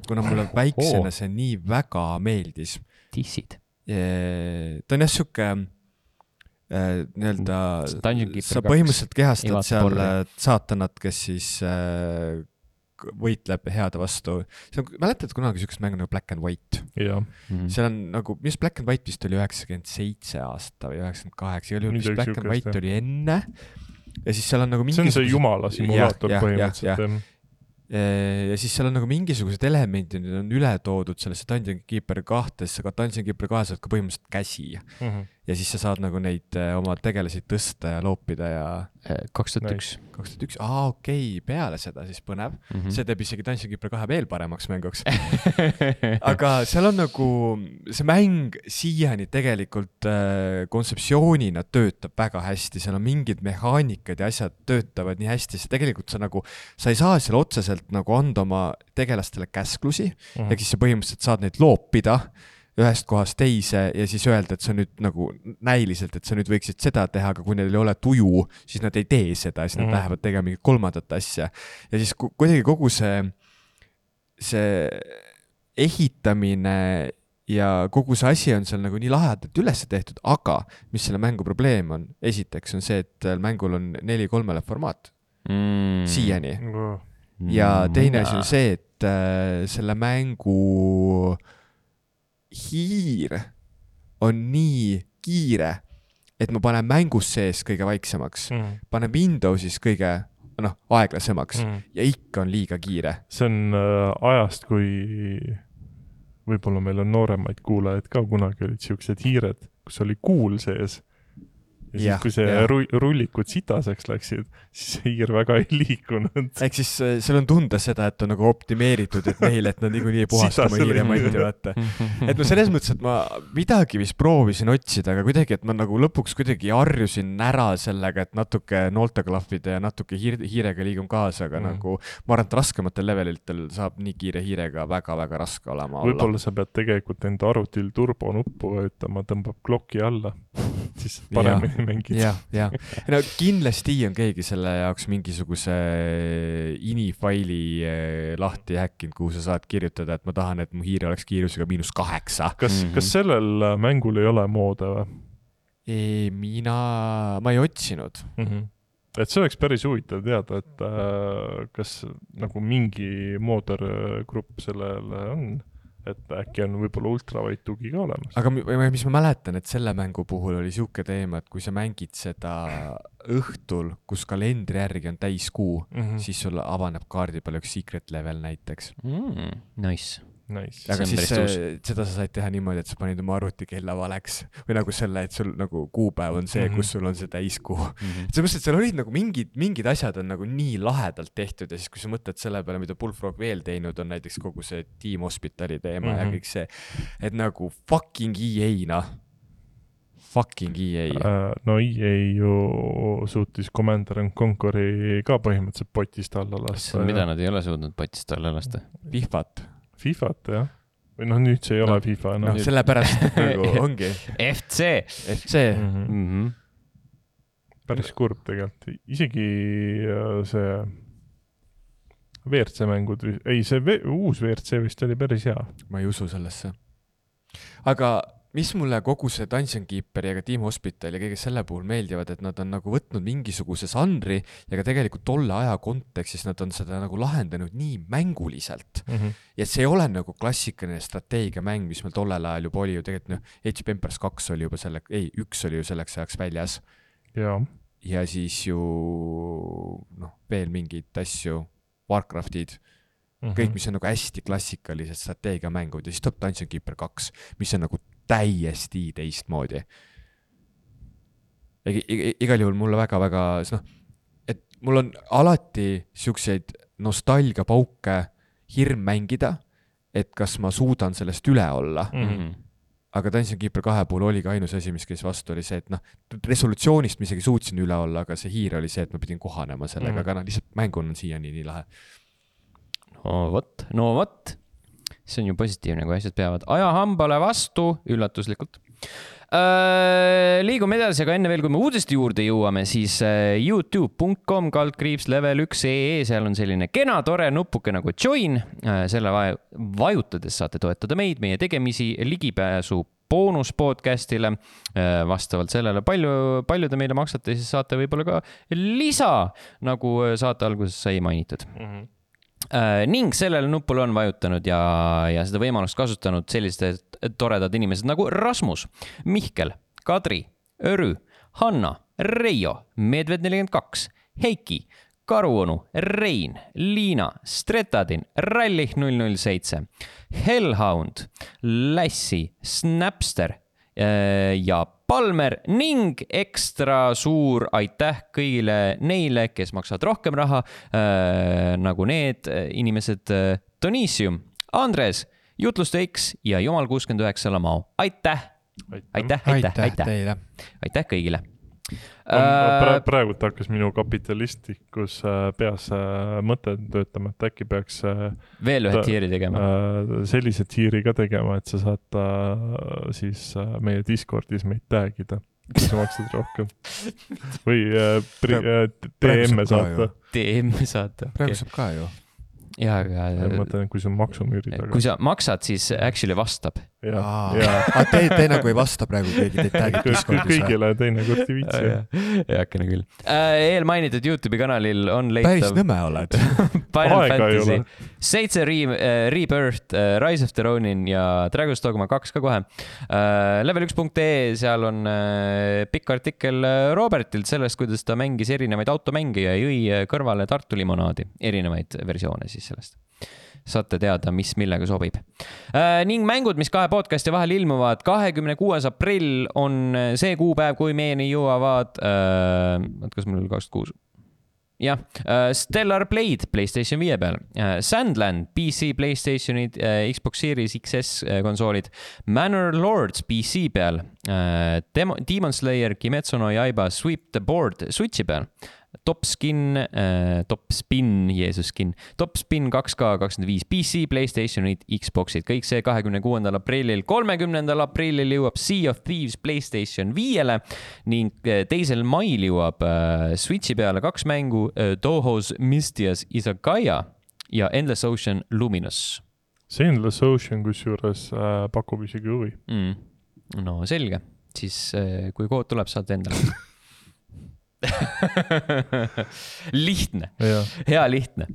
kuna mulle väiksena see nii väga meeldis. Tissid. Ta on jah sihuke nii-öelda, sa põhimõtteliselt kehastad seal saatanat, kes siis võitleb heade vastu. Mäletad kunagi sihukest mängu nagu Black and White? Seal on nagu, mis Black and White vist oli 97 aasta või 98, mis Black and White oli enne ja siis seal on nagu see on see jumala simulaator põhimõtteliselt. Ja siis seal on nagu mingisugused elemendid on üle toodud sellesse Dungeon Keeper 2-sse, aga Dungeon Keeper 2 saad ka põhimõtteliselt käsi ja siis sa saad nagu neid oma tegelasi tõsta ja loopida ja 2001. Okei, peale seda siis põnev. See teeb isegi Dungeon Keeper 2 veel paremaks mänguks. Aga seal on nagu, see mäng siiani tegelikult kontseptsioonina töötab väga hästi, seal on mingid mehaanikad ja asjad töötavad nii hästi, see tegelikult sa ei saa seal otseselt nagu anda oma tegelastele käsklusi, ja siis sa põhimõtteliselt saad neid loopida ühest kohast teise ja siis öelda, et sa nüüd nagu näiliselt, et sa nüüd võiksid seda teha, aga kui neil ei ole tuju, siis nad ei tee seda ja siis nad lähevad tegema mingit kolmandat asja. Ja siis kuidagi kogu see ehitamine ja kogu see asi on seal nagu nii lahedalt üles tehtud, aga mis selle mängu probleem on? Esiteks on see, et mängul on 4:3 formaat siiani. Ja teine asi on see, et selle mängu hiir on nii kiire, et ma panen mängus sees kõige vaiksemaks, panen Windowsis kõige aeglasemaks ja ikka on liiga kiire. See on ajast, kui võib-olla meil on nooremaid kuulajaid ka, kunagi olid siuksed hiired, kus oli kuul sees. Ja siis, kui see rullikud sitaseks läksid, siis see hiir väga ei liikunud. Ehk siis seal on tunda seda, et on nagu optimeeritud, et neile, et nad nii puhastama hiire manti vaata. Et ma selles mõttes, et ma midagi vist proovisin otsida, aga kuidagi, et ma nagu lõpuks kuidagi harjusin ära sellega, et natuke noolteklahvida ja natuke hiirega liigum kaasa, aga nagu ma arvan, et raskematel levelitel saab nii kiire hiirega väga-väga raske olema olla. Võib-olla sa pead tegelikult enda arvutil turbonuppu võtama, tõmbab klokki alla, siis paremini mängid. Ja. No, kindlasti on keegi selle jaoks mingisuguse ini-faili lahti häkkinud, kuhu sa saad kirjutada, et ma tahan, et mu hiire oleks kiirusega -8. Kas sellel mängul ei ole moode või? Ma ei otsinud. Et see oleks päris huvitav teada, et kas nagu mingi moodergrupp sellele on, et äkki on võib-olla ultravait tugi ka olemas. Aga mis ma mäletan, et selle mängu puhul oli siuke teema, et kui sa mängid seda õhtul, kus kalendri järgi on täiskuu, siis sul avaneb kaardi peal üks secret level näiteks. Nice. Aga siis seda sa said teha niimoodi, et sa panid oma arvuti kella valeks või nagu selle, et sul nagu kuupäev on see, kus sul on see täiskuu. Sellepärast, et seal olid nagu mingid asjad on nagu nii lahedalt tehtud ja siis kui sa mõtled selle peale, mida Bullfrog veel teinud on, näiteks kogu see Team Hospitali teema ja kõik see, et nagu fucking EA fucking EA. No EA ju suutis Commander & Conqueri ka põhimõtteliselt potist alla lasta. Mida nad ei ole suutnud potist alla lasta? FIFAt, jah. Või nüüd see ei ole FIFA. Sellepärast nagu ongi. FC. Päris kurb tegelikult. Isegi see WRC mängud, see uus WRC vist oli päris hea. Ma ei usu sellesse. Aga mis mulle kogu see Dungeon Keeper ja ka Team Hospital ja kõige selle puhul meeldivad, et nad on nagu võtnud mingisuguse žanri ja ka tegelikult tolle aja kontekstis nad on seda nagu lahendanud nii mänguliselt. Ja see ei ole nagu klassikaline strateegiamäng, mis meil tollel ajal juba oli ju tegelikult, Age of Empires 2 oli juba üks oli ju selleks ajaks väljas. Ja siis ju veel mingid asju, Warcraftid, kõik, mis on nagu hästi klassikalised strateegiamängud ja siis tuleb Dungeon Keeper 2, mis on nagu täiesti teistmoodi. igal juhul mulle väga-väga, et mul on alati siukseid nostalgiapauke hirm mängida, et kas ma suudan sellest üle olla. Aga Dungeon Keeper 2 puhul oligi ainus asi, mis käis vastu, oli see, et resolutsioonist ma isegi suutsin üle olla, aga see hiir oli see, et ma pidin kohanema sellega, aga lihtsalt mängun on siiani nii lahe. No vot. See on ju positiivne, kui asjad peavad ajahambale vastu, üllatuslikult. Liigume edasi, aga enne veel, kui me uudiste juurde jõuame, siis youtube.com/level1.ee, seal on selline kena, tore nupuke nagu join. Selle vajutades saate toetada meid, meie tegemisi, ligipääsu boonuspodcastile. Vastavalt sellele, palju te meile maksate, siis saate võib-olla ka lisa, nagu saate alguses sai mainitud. Ning sellele nupule on vajutanud ja seda võimalust kasutanud sellised toredad inimesed nagu Rasmus, Mihkel, Kadri, Örü, Hanna, Reijo, Medved42, Heiki, Karuonu, Rein, Liina, Stretadin, Rallih 007, Hellhound, Lassi, Snapster ja Palmer ning ekstra suur aitäh kõigile neile, kes maksavad rohkem raha, nagu need inimesed Donisium, Andres, Jutluste X ja Jumal 69 Lamao. Aitäh teile. Aitäh kõigile. Praegu hakkas minu kapitalistikus peas mõte töötama, et äkki peaks veel ühe tiiri tegema. Sellise tiiri ka tegema, et sa saad siis meie Discordis meid tagida, kui sa maksad rohkem. Või DM saata. Praegu saab ka ju. Ja, aga mõtlen, kui see on maksumüüri taga. Kui sa maksad, siis actually vastab. Te nagu ei vasta praegu keegi teid tagib Discordis. Kõigile teine kord ei viitsi. Heakene küll. Eelmainitud YouTube'i kanalil on leitav päris nõme oled. Final Fantasy 7 Rebirth, Rise of the Ronin ja Dragon's Dogma 2 ka kohe. Level1.ee, seal on pikk artikkel Robertilt sellest, kuidas ta mängis erinevaid automänge ja jõi kõrvale Tartu limonaadi, erinevaid versioone siis sellest. Saate teada, mis millega sobib. Ning mängud, mis kahe podcasti vahel ilmuvad, 26. aprill on see kuupäev, kui meieni jõuavad, kas mul oli 26? Jah, Stellar Blade PlayStation 5 peal, Sandland PC, PlayStationid, Xbox Series XS konsoolid, Manor Lords PC peal, Demon Slayer, Kimetsu no Yaiba, Sweep the Board Switchi peal, Top Spin 2K25 PC, PlayStationid, Xboxid, kõik see 26. aprillil. 30. aprillil jõuab Sea of Thieves PlayStation 5-le ning 2. mail jõuab Switchi peale 2 mängu, Touhou's Mystias Izakaya ja Endless Ocean Luminous. See Endless Ocean kusjuures pakub isegi huvi. No selge, siis kui kood tuleb, saad endale. Lihtne, hea lihtne.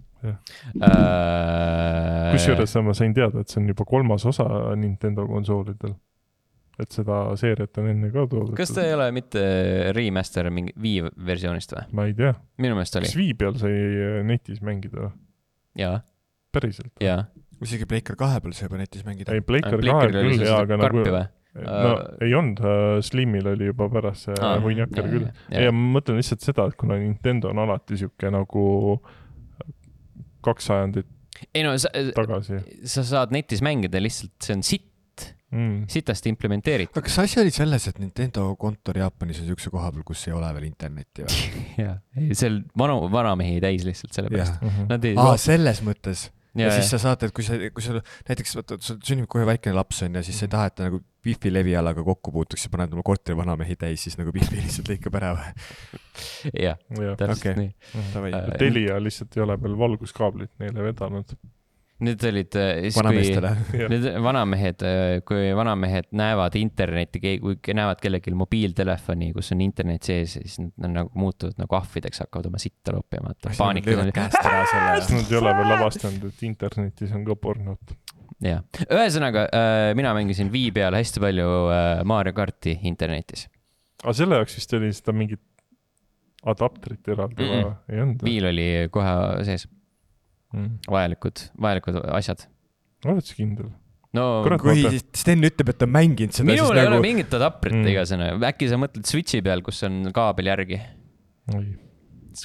Kusjuures ma sain teada, et see on juba 3. osa Nintendo konsoolidel, et seda seeriat on enne ka toodud. Kas ta ei ole mitte remaster mingi Wii versioonist või? Ma ei tea. Minu meelest oli. Kas Wii peal sai netis mängida? Jaa. Päriselt? Jaa. Isegi Playcar 2 peal sai juba netis mängida. Ei, Playcar 2 küll, aga karpi või? No ei olnud, Slimil oli juba pärast see hunjakar küll. Ja ma mõtlen lihtsalt seda, et kuna Nintendo on alati siuke nagu 2 sajandit tagasi. Sa saad netis mängida lihtsalt, see on sitast implementeeritud. Aga kas asi oli selles, et Nintendo kontor Jaapanis on siukse koha peal, kus ei ole veel internetti või? Jaa, seal vanamehi täis lihtsalt selle pärast. Selles mõttes. Ja siis sa saad, et kui sa näiteks sul sünnib kohe väikene laps on ja siis sa ei taha, et ta nagu Wi-Fi levialaga kokku puutuks ja paned oma korteri vanamehi täis, siis nagu Wi-Fi lihtsalt lõikab ära või? Jah, täpselt nii. Telia lihtsalt ei ole veel valguskaablit neile vedanud. Need olid, kui vanamehed näevad internetti, kui näevad kellelgi mobiiltelefoni, kus on internet sees, siis nad nagu muutuvad nagu ahvideks, hakkavad oma sitta loppima. Nad ei ole veel avastanud, et internetis on ka pornot. Jah. Ühesõnaga, mina mängisin Wii peal hästi palju Mario Karti internetis. Aga selle jaoks vist oli seda mingit adapterit eraldi ei olnud? Wii'l oli kohe sees. Vajalikud asjad. Oled sa kindel? no Kurat, kui Sten ütleb, et ta on mänginud seda, minul siis ei ole nagu mingit adaprit igasõna. Äkki sa mõtled Switchi peal, kus on kaabel järgi?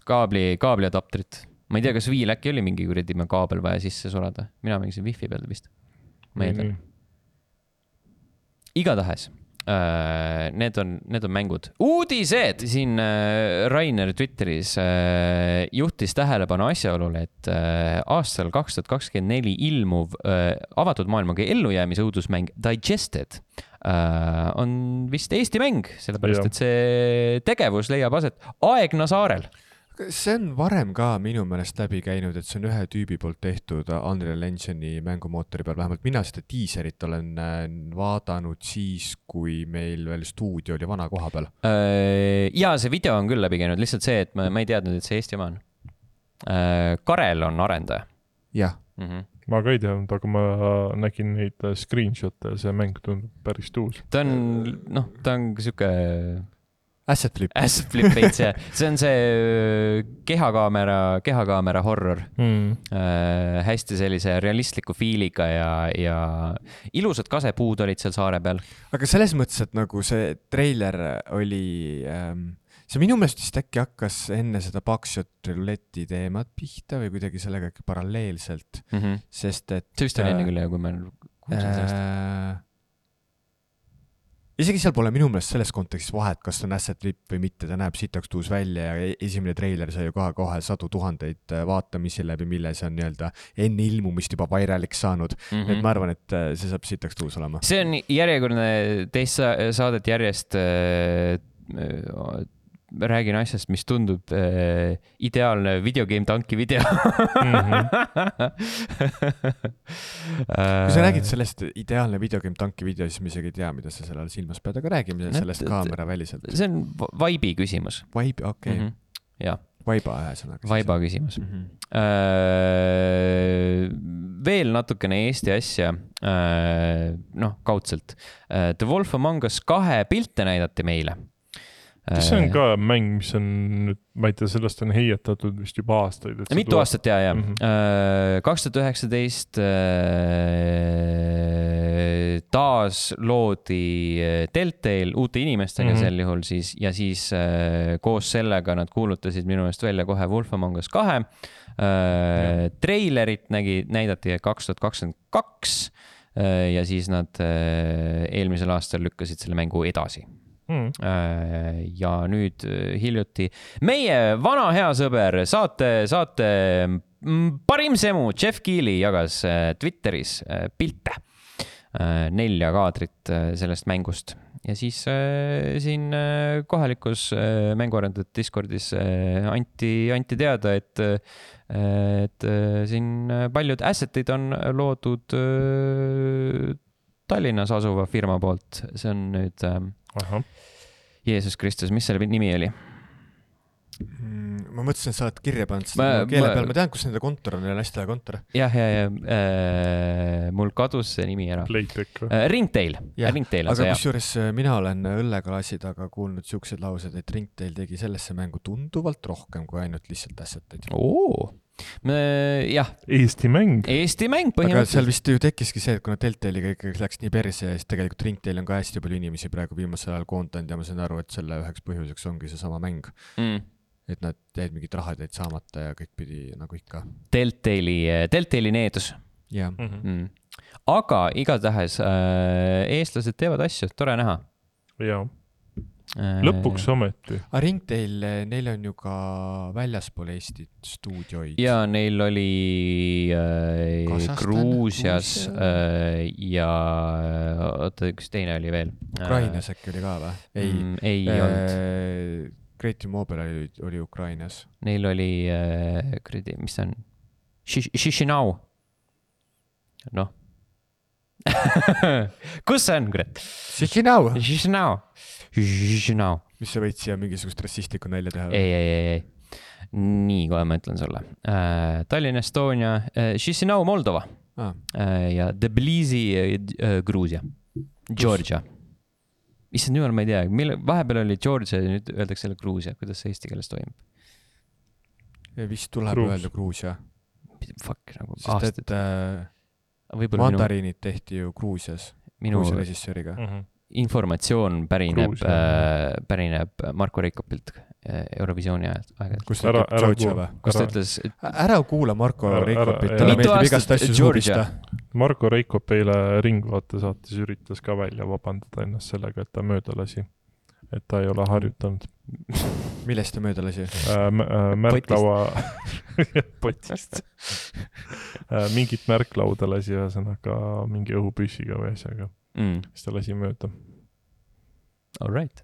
Kaabli adaptrit. Ma ei tea, kas Viil äkki oli mingi kuradi kaabel vaja sisse sulada. Mina mängisin Wi-Fi peal vist. Ma ei tea. Igatahes. Need on mängud. Uudised! Siin Rainer Twitteris juhtis tähelepanu asjaolule, et aastal 2024 ilmuv avatud maailmaga ellujäämise õudusmäng Digested on vist Eesti mäng, sellepärast et see tegevus leiab aset Aegna saarel. see on varem ka minu meelest läbi käinud, et see on ühe tüübi poolt tehtud Unreal Engine'i mängumootori peal, vähemalt mina seda diiserit olen vaadanud siis, kui meil veel stuudio oli vana koha peal. Ja see video on küll läbi käinud, lihtsalt see, et ma ei teadnud, et see Eesti oma on. Karel on arendaja. Jah. Ma ka ei teadnud, aga ma nägin neid screenshot'e ja see mäng tundub päris tuus. Ta on siuke Asset flip veits, jah. See on see kehakaamera horror. Hästi sellise realistliku fiiliga ja ilusad kasepuud olid seal saare peal. Aga selles mõttes, et nagu see treiler oli, see minu meelest vist äkki hakkas enne seda Buckshot Roulette'i teemat pihta või kuidagi sellega paralleelselt, sest et see vist oli enne küll, kui ma kuulsin sellest. Isegi seal pole minu meelest selles kontekstis vahet, kas on asset flip või mitte, ta näeb sitaks tuus välja ja esimene treiler sai ju kohe sadu tuhandeid vaatamisi läbi, mille see on nii-öelda enne ilmumist juba vairaliks saanud. Et ma arvan, et see saab sitaks tuus olema. See on järjekordne teist saadet järjest räägin asjast, mis tundub ideaalne videogame tanki video. Kui sa räägid sellest ideaalne videogame tanki video, siis ma isegi ei tea, mida sa sellele silmas pead, aga räägime sellest kaamera väliselt. See on vibe'i küsimus. Vibe, okei. Jah. Vaiba ühesõnaga. Vaiba küsimus. Veel natukene Eesti asja, kaudselt. The Wolf Among Us 2 pilte näidati meile. See on ka mäng, mis on nüüd, ma ei tea, sellest on heietatud vist juba aastaid. Mitu aastat, ja. 2019 taas loodi Telltale uute inimestega sel juhul siis, ja siis koos sellega nad kuulutasid minu eest välja kohe Wolf Among Us 2. Trailerit näidati 2022 ja siis nad eelmisel aastal lükkasid selle mängu edasi. Ja nüüd hiljuti meie vana hea sõber saate parim semu Jeff Keighley jagas Twitteris pilte 4 kaadrit sellest mängust ja siis siin kohalikus mänguarendajate Discordis anti teada, et siin paljud assetid on loodud Tallinnas asuva firma poolt. See on nüüd Jeesus Kristus, mis selle nimi oli? Ma mõtlesin, et sa oled kirja pannud seda keele peal. Ma tean, kus nende kontor on, neil on hästi lahe kontor. Jah, mul kadus see nimi ära. Ringtail. Aga kusjuures mina olen õlleklaasi taga kuulnud siuksed laused, et Ringtail tegi sellesse mängu tunduvalt rohkem kui ainult lihtsalt assetid. Jah. Eesti mäng põhimõtteliselt. Aga seal vist ju tekkiski see, et kuna Telltale'iga ikkagi läks nii perse ja siis tegelikult Ringtail on ka hästi palju inimesi praegu viimasel ajal koondanud ja ma saan aru, et selle üheks põhjuseks ongi see sama mäng. Et nad jäid mingid rahad jäid saamata ja kõik pidi nagu ikka. Telltale'i needus. Jah. Aga igatahes eestlased teevad asju, tore näha. Jah. Lõpuks ometi. Ringtail, neil on ju ka väljaspool Eestit stuudioid. Ja neil oli Gruusias ja üks teine oli veel. Ukrainas äkki oli ka või? Ei olnud. Creative Mobile oli Ukrainas. Neil oli, mis see on? Chisinau. Kus see on, kurat? Chisinau. Mis sa võid siia mingisugust rassistlikku nälja teha? Ei. Nii, kohe ma ütlen sulle. Tallinn, Estonia, Chisinau, Moldova ja Tbilisi, Gruusia, Georgia. Issand jumal, ma ei tea, vahepeal oli Georgia ja nüüd öeldakse selle Gruusia. Kuidas see eesti keeles toimub? Vist tuleb öelda Gruusia. Fuck, nagu aastad. mandariinid tehti ju Gruusias, Gruusia režissööriga. Informatsioon pärineb Marko Reikopilt Eurovisiooni ajal. Kus ta ütleb Georgia või? Kus ta ütles... Ära kuula Marko Reikopit, talle meeldib igast asju suubista. Marko Reikop eile Ringvaate saates üritas ka välja vabandada ennast sellega, et ta mööda lasi. Et ta ei ole harjutanud. Millest ta mööda lasi? Märklaua... Potist. Mingit märklauda lasi ühesõnaga mingi õhupüssiga või asjaga. Siis ta lasi mööda. All right.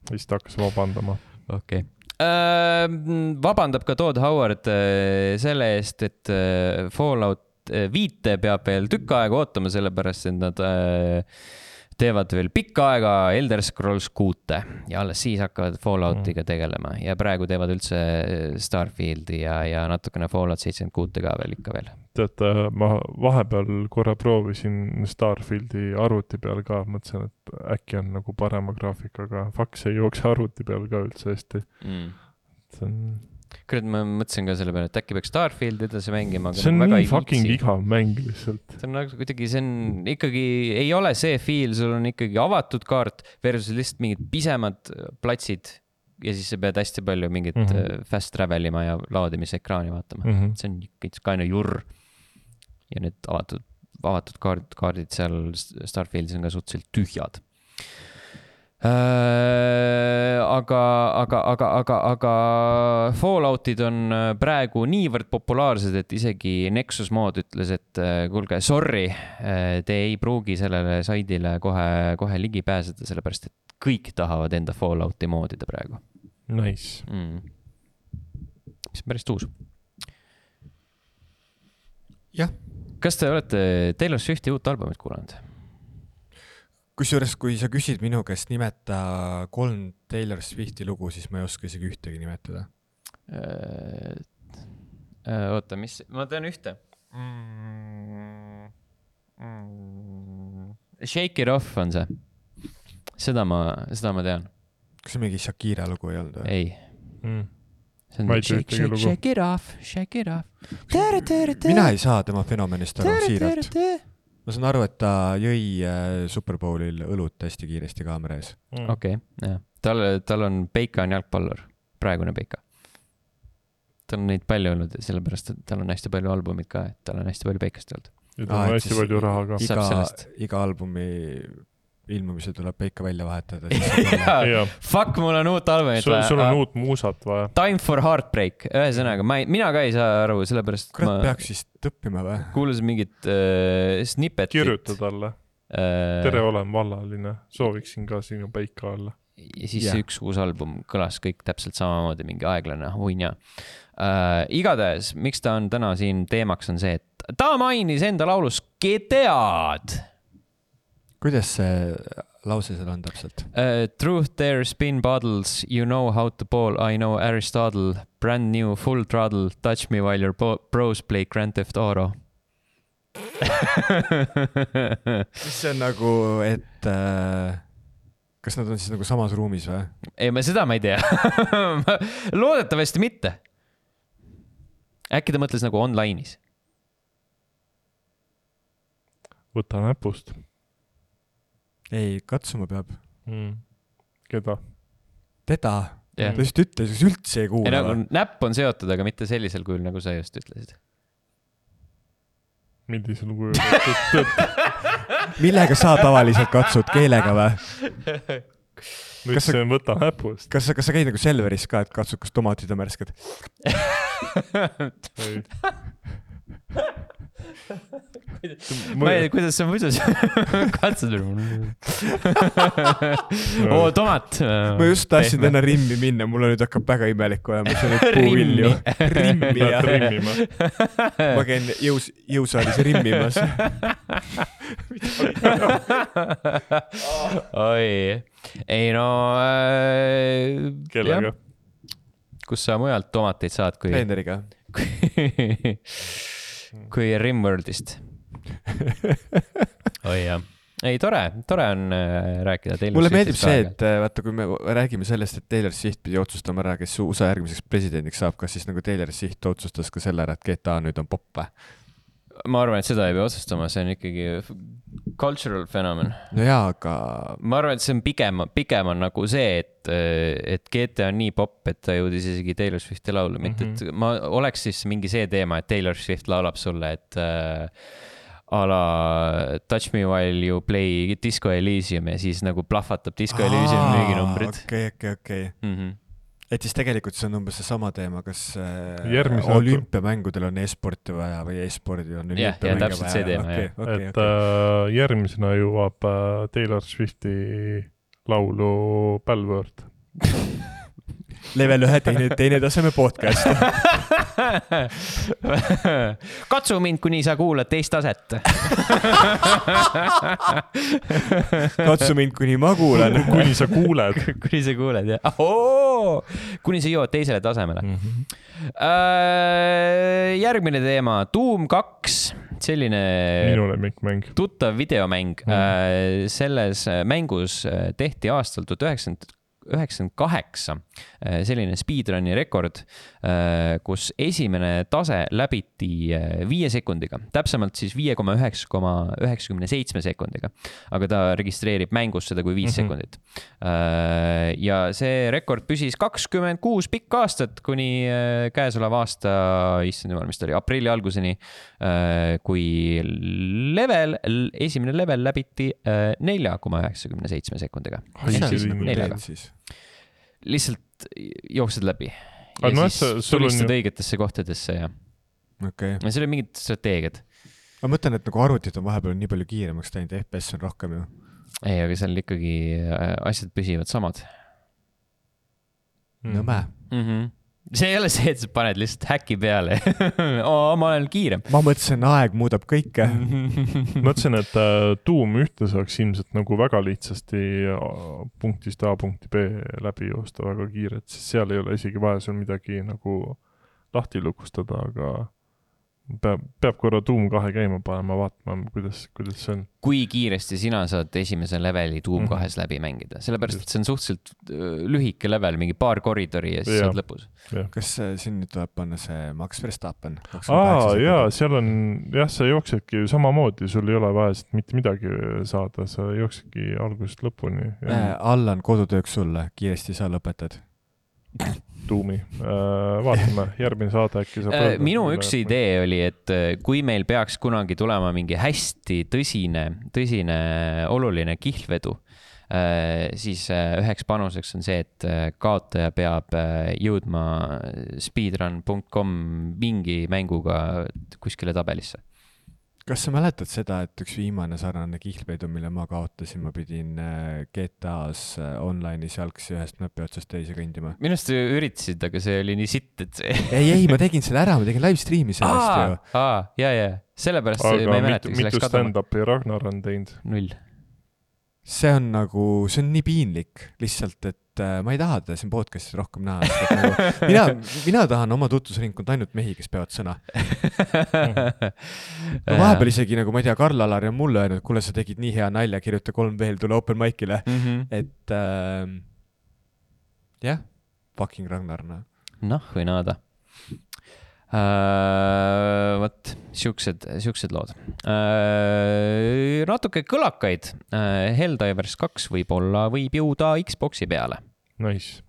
Siis ta hakkas vabandama. Okei. Vabandab ka Todd Howard selle eest, et Fallout 5 peab veel tükk aega ootama, sellepärast, et nad teevad veel pikka aega Elder Scrolls 6 ja alles siis hakkavad Falloutiga tegelema ja praegu teevad üldse Starfieldi ja natukene Fallout 76 ka veel ikka veel. Tead, ma vahepeal korra proovisin Starfieldi arvuti peal ka, mõtlesin, et äkki on nagu parema graafikaga. Faks ei jookse arvuti peal ka üldse hästi. See on... Kurat, ma mõtlesin ka selle peale, et äkki peaks Starfield edasi mängima. See on nii fucking igav mäng lihtsalt. See on nagu kuidagi, see on ikkagi, ei ole see feel, sul on ikkagi avatud kaart versus lihtsalt mingid pisemad platsid ja siis sa pead hästi palju mingit fast travelima ja laadimisekraani vaatama. See on kaine jurr. Ja need avatud kaardid seal Starfieldis on ka suhteliselt tühjad. Aga Falloutid on praegu niivõrd populaarsed, et isegi Nexus Mod ütles, et kuulge, sorry, te ei pruugi sellele saidile kohe ligi pääseda, sellepärast, et kõik tahavad enda Fallouti moodida praegu. Nice. Mis on päris tuus. Jah. Kas te olete Taylor Swifti uut albumit kuulanud? Kusjuures, kui sa küsid minu käest nimeta 3 Taylor Swifti lugu, siis ma ei oska isegi ühtegi nimetada. Oota, mis? Ma tean ühte. Shake It Off on see. Seda ma tean. Kas see mingi Shakira lugu ei olnud? Ei. See on shake it off. Mina ei saa tema fenomenist aru siiralt. Ma saan aru, et ta jõi Superbowlil õlut hästi kiiresti kaamera ees. Okei, jah. Tal on Peika on jalgpallur. Praegune Peika. Tal on neid palju olnud, sellepärast, et tal on hästi palju albumid ka, et tal on hästi palju Peikast olnud. Ja tal on hästi palju raha ka. Iga albumi ilmumise tuleb Peika välja vahetada. Fuck, mul on uut albumit vaja. Sul on uut muusat vaja. Time for Heartbreak. Ühesõnaga, mina ka ei saa aru, sellepärast kurat, peaks siis tõppima või? Kuulus mingit snippetit. Kirjuta talle. Tere, olen vallaline. Sooviksin ka sinu Peika alla. Ja siis üks uus album kõlas kõik täpselt samamoodi, mingi aeglane huinja. Igatahes, miks ta on täna siin teemaks on see, et ta mainis enda laulus GTA-d. Kuidas see lause seal on täpselt? Truth there, spin bottles, you know how to ball, I know Aristotle, brand new, full throttle, touch me while your bros play Grand Theft Auto. See on nagu, et kas nad on siis nagu samas ruumis või? Ei, seda ma ei tea. Loodetavasti mitte. Äkki ta mõtles nagu online'is? Võta näpust. Ei, katsuma peab. Keda? Teda. Ta just ütles, üldse ei kuula. Nagu, näpp on seotud, aga mitte sellisel kujul, nagu sa just ütlesid. Millisel kujul? Millega sa tavaliselt katsud? Keelega või? Nüüd see võta näpust. Kas sa käid nagu Selveris ka, et katsud, kas tomatid on märsked? Ei. Ma ei tea, kuidas sa muidu katsud. Tomat. Ma just tahtsin täna rimmi minna, mulle nüüd hakkab väga imelik olema. See nüüd puuvilju. Rimmi, jah. Ma käin jõusaalis rimmimas. Oi. Ei no... Kellega? Kus sa mujalt tomateid saad, kui... Blenderiga. Kui Rimworldist. Oi jah. ei, tore on rääkida Taylor mulle meeldib Swiftist see, et vaata, kui me räägime sellest, et Taylor Swift pidi otsustama ära, kes USA järgmiseks presidendiks saab, kas siis nagu Taylor Swift otsustas ka selle ära, et GTA nüüd on popp või? ma arvan, et seda ei pea otsustama, see on ikkagi cultural fenomen. No jaa, aga... ma arvan, et see on pigem on nagu see, et GTA on nii popp, et ta jõudis isegi Taylor Swifti laulu, mitte et ma oleks siis mingi see teema, et Taylor Swift laulab sulle, et a la Touch Me While You Play Disco Elysium ja siis nagu plahvatab Disco Elysium müüginumbrid. Okei. Et siis tegelikult see on umbes seesama teema, kas olümpiamängudel on e-sporti vaja või e-spordil on olümpiamänge täpselt vaja. See teema, et järgmisena jõuab Taylor Swifti laulu Bellword. Level 1 teine taseme podcast. Katsu mind, kuni sa kuulad teist taset. Katsu mind, kuni ma kuulan. Kuni sa kuuled. Kuni sa kuuled, jah. Kuni sa jõuad teisele tasemele. Järgmine teema, Doom 2. Selline minu lemmikmäng. Tuttav videomäng. Selles mängus tehti aastal 1998 selline speedrunni rekord, kus esimene tase läbiti 5 sekundiga, täpsemalt siis 5,997 sekundiga, aga ta registreerib mängus seda kui 5 sekundit. Ja see rekord püsis 26 pikka aastat kuni käesoleva aasta, issand jumal, mis ta oli, aprilli alguseni, kui esimene level läbiti 4,97 sekundiga. Lihtsalt jooksed läbi ja siis tulistad õigetesse kohtadesse ja see oli mingid strateegiad. Ma mõtlen, et nagu arvutid on vahepeal nii palju kiiremaks teinud, FPS on rohkem ju. Ei, aga seal ikkagi asjad püsivad samad. Nõme. See ei ole see, et sa paned lihtsalt häki peale. Ma olen kiirem. Ma mõtlesin, aeg muudab kõike. Mõtlesin, et Doom 1 saaks ilmselt nagu väga lihtsasti punktist A punkti B läbi joosta väga kiiret, sest seal ei ole isegi vaja sul midagi nagu lahti lukustada, aga peab korra Doom 2 käima panema, vaatama, kuidas see on. Kui kiiresti sina saad esimese leveli Doom 2 läbi mängida, sellepärast, et see on suhteliselt lühike level, mingi paar koridori ja siis saad lõpus. Kas siin nüüd tuleb panna see Max Verstappen? Jaa, seal on, sa jooksedki samamoodi, sul ei ole vaja mitte midagi saada, sa jooksedki algusest lõpuni. Allan, kodutööks sulle, kiiresti sa lõpetad. Doomi. Vaatame, järgmine saade äkki saab minu üks idee oli, et kui meil peaks kunagi tulema mingi hästi tõsine oluline kihlvedu, siis üheks panuseks on see, et kaotaja peab jõudma speedrun.com mingi mänguga kuskile tabelisse. Kas sa mäletad seda, et üks viimane sarnane kihlvedu, mille ma kaotasin, ma pidin GTA-s online'is jalgsi ühest möpi otsast teise kõndima? Minust üritasid, aga see oli nii sitt, et see... Ei, ma tegin selle ära, ma tegin live stream'i sellest ju. Ja. Sellepärast ma ei mäleta, mitu stand-upi Ragnar on teinud? 0. See on nii piinlik lihtsalt, et ma ei taha teda siin podcastis rohkem näha. Mina tahan oma tutvusringkond ainult mehi, kes peavad sõna. Vahepeal isegi, nagu ma ei tea, Karl-Alari on mulle öelnud, kuule, sa tegid nii hea nalja, kirjuta 3 veel, tule open mic'ile. Et jah, fucking Ragnar. Või naada. Võt, siuksed lood. Natuke kõlakaid. Helldivers 2 võib jõuda Xboxi peale. Nice.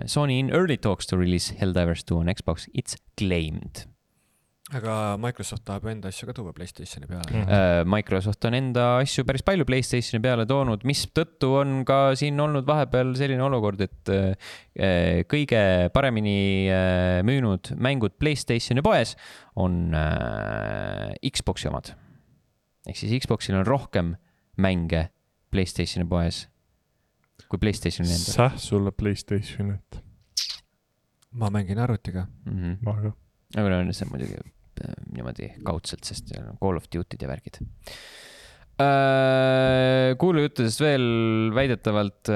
Sony in early talks to release Helldivers 2 on Xbox, it's claimed. Aga Microsoft tahab enda asju ka tuua PlayStationi peale. Microsoft on enda asju päris palju PlayStationi peale toonud, mis tõttu on ka siin olnud vahepeal selline olukord, et kõige paremini müünud mängud PlayStationi poes on Xboxi omad. Ehk siis Xboxil on rohkem mänge PlayStationi poes kui PlayStationi enda. Säh sulle PlayStationit? Ma mängin arvutiga. Ma ka. Aga on see muidugi niimoodi kaudselt, sest Call of Duty'd ja värgid. Kuulujuttudest veel väidetavalt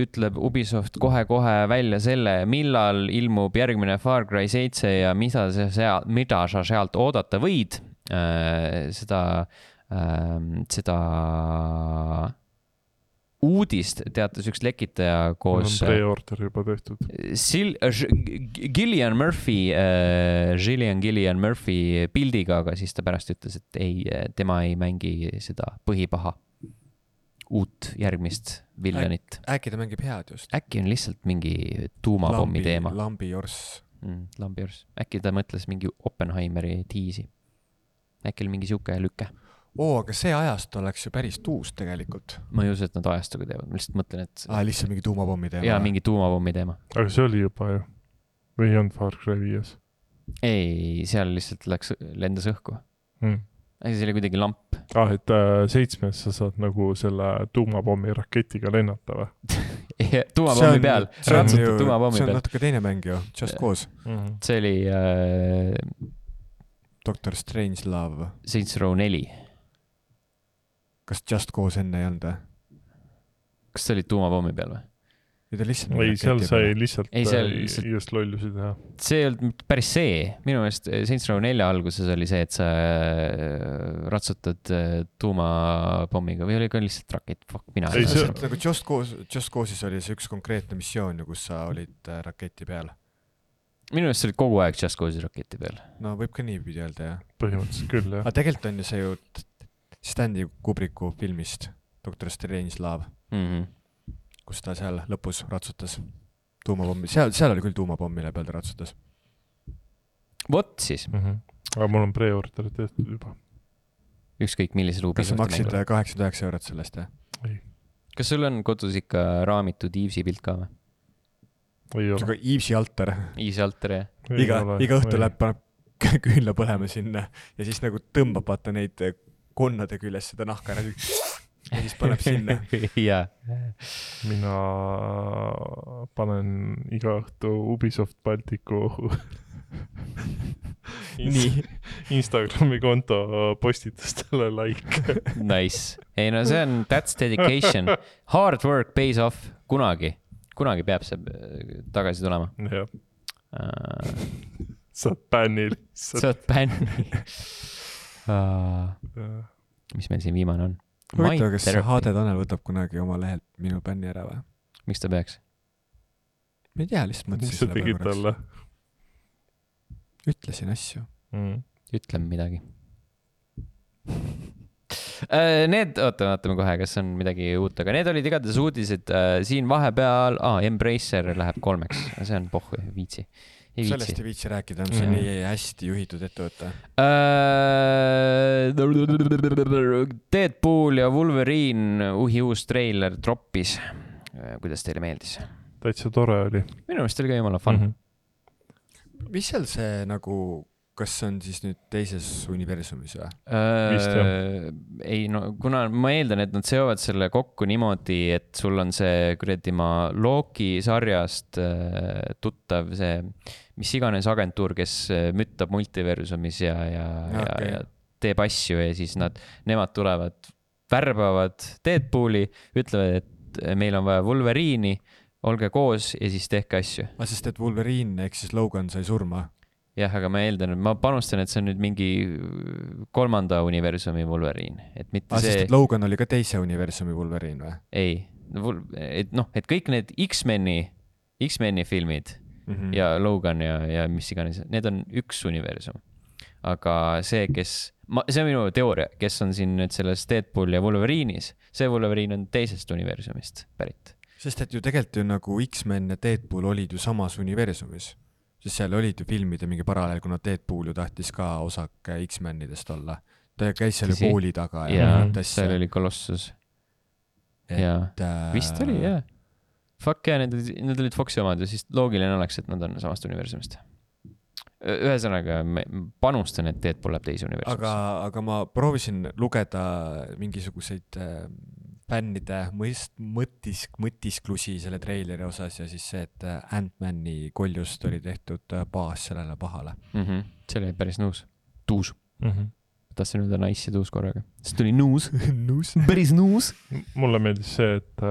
ütleb Ubisoft kohe välja selle, millal ilmub järgmine Far Cry 7 ja mida sa sealt oodata võid. Seda seda uudist teatas üks lekitaja mul koos on pre-order juba tehtud. Gillian Murphy pildiga, aga siis ta pärast ütles, et ei, tema ei mängi seda põhipaha uut järgmist villanit. Äkki ta mängib head just. Äkki on lihtsalt mingi tuumapommi teema. Lambi Jors. Lambi Jors. Äkki ta mõtles mingi Oppenheimeri tiisi. Äkki oli mingi siuke lükke. Aga see ajast oleks ju päris tuus tegelikult. Ma ei usu, et nad ajastuga teevad. Ma lihtsalt mõtlen, et... lihtsalt mingi tuumapommi teema. Jaa, mingi tuumapommi teema. Aga see oli juba ju. Või ei olnud Far Cry 5? Ei, seal lihtsalt lendas õhku. Aga see oli kuidagi lamp. Et 7 sa saad nagu selle tuumapommi raketiga lennata või? Tuumapommi peal. Ratsutad tuumapommi peal. See on natuke teine mäng ju. Just Cause. See oli... Dr. Strangelove. Saints Row 4. Kas Just Cause enne ei olnud? Kas see oli tuumapommi peal või? Ei, seal sai lihtsalt just lollusi teha. See ei olnud päris see. Minu meelest Saints Row 4 alguses oli see, et sa ratsutad tuumapommiga või oli ka lihtsalt rakett? Fuck, mina. Nagu Just Cause'is oli see üks konkreetne missioon, kus sa olid raketi peal. Minu meelest see oli kogu aeg Just Cause'i raketi peal. No võib ka niipidi öelda, jah. Põhimõtteliselt küll, jah. Aga tegelikult on ju see ju Stanley Kubricku filmist Dr. Strangelove, kus ta seal lõpus ratsutas tuumapommi. Seal oli küll tuumapommi, mille peal ta ratsutas. Vot siis. Aga mul on pre-order tehtud juba. Ükskõik millisel Kas sa maksid 89 € sellest, jah? Ei. Kas sul on kodus ikka raamitud Evesi pilt ka või? Ei ole. Evesi altar. Evesi altar, jah. Iga õhtu läheb, paneb küünla põlema sinna ja siis nagu tõmbab vaata neid konnade küljes seda nahka ära ja siis paneb sinna. Jaa. Mina panen iga õhtu Ubisoft Balticu Instagrami konto postitustele like. Nice. Ei no see on, that's dedication. Hard work pays off. Kunagi peab see tagasi tulema. Jah. Saad bänni lihtsalt. Saad bänni. Mis meil siin viimane on? Huvitav, kas HD Tanel võtab kunagi oma lehelt minu bänni ära või? Miks ta peaks? Ma ei tea, lihtsalt mõtlesin. Mis sa tegid talle? Ütlesin asju. Ütlen midagi. Vaatame kohe, kas on midagi uut, aga need olid igatahes uudised siin vahepeal. Embracer läheb 3-ks, see on pohhu, viitsi. Sellest ei viitsi rääkida, see on nii hästi juhitud ettevõte. Deadpool ja Wolverine uus treiler droppis. Kuidas teile meeldis? Täitsa tore oli. Minu meelest oli ka jumala fun. Mis seal see nagu, kas see on siis nüüd teises universumis või? Ei, no kuna ma eeldan, et nad seovad selle kokku niimoodi, et sul on see Loki sarjast tuttav see, mis iganes agentuur, kes müttab multiversumis ja teeb asju ja siis nemad tulevad, värbavad Deadpooli, ütlevad, et meil on vaja Wolverine'i, olge koos ja siis tehke asju. Sest et Wolverine ehk siis Logan sai surma. Jah, aga ma eeldan, et ma panustan, et see on nüüd mingi 3. universumi Wolverine. Sest et Logan oli ka teise universumi Wolverine või? Ei, et kõik need X-meni filmid ja Logan ja mis iganes, need on üks universum. Aga see on minu teooria, kes on siin nüüd selles Deadpool ja Wolverine'is, see Wolverine on teisest universumist pärit. Sest et ju tegelikult ju nagu X-Men ja Deadpool olid ju samas universumis. Sest seal olid ju filmide mingi paralleel, kuna Deadpool ju tahtis ka osake X-Menidest olla. Ta käis seal ju kooli taga. Ja seal oli Colossus. Vist oli, jah. Fuck ja, need olid Foxi omad ja siis loogiline oleks, et nad on samast universumist. Ühesõnaga, panustan, et Deadpool läheb teise universumist. Aga ma proovisin lugeda mingisuguseid fännide mõtisklusi selle treileri osas ja siis see, et Ant-Mani koljust oli tehtud baas sellele pahale. See oli päris tuus. Tahtsin öelda nice ja tuus korraga. See tuli nuus. Päris nuus. Mulle meeldis see, et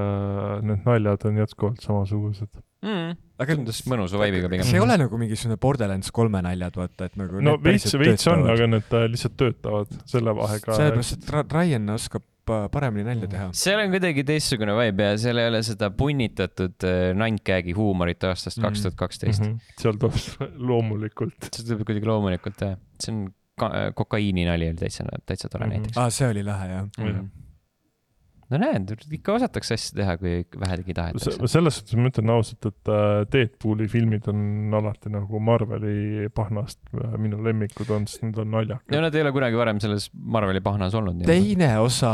need naljad on jätkuvalt samasugused. Aga tundus mõnusa vibe'iga pigem. see ei ole nagu mingisugune Borderlands 3 naljad, vaata, et nagu no veits on, aga need lihtsalt töötavad selle vahega. Sellepärast, et Ryan oskab paremini nalja teha. Seal on kuidagi teistsugune vibe ja seal ei ole seda punnitatud nandkägi huumorit aastast 2012. Seal tuleb loomulikult. See tuleb kuidagi loomulikult, jah. See on kokaiini nali oli täitsa tore näiteks. See oli lahe, jah. No näed, ikka osatakse asja teha, kui vähedegi tahetakse. Selles suhtes ma ütlen ausalt, et Deadpooli filmid on alati nagu Marveli pahnast minu lemmikud on, sest need on naljakad. Ja nad ei ole kunagi varem selles Marveli pahnas olnud. Teine osa,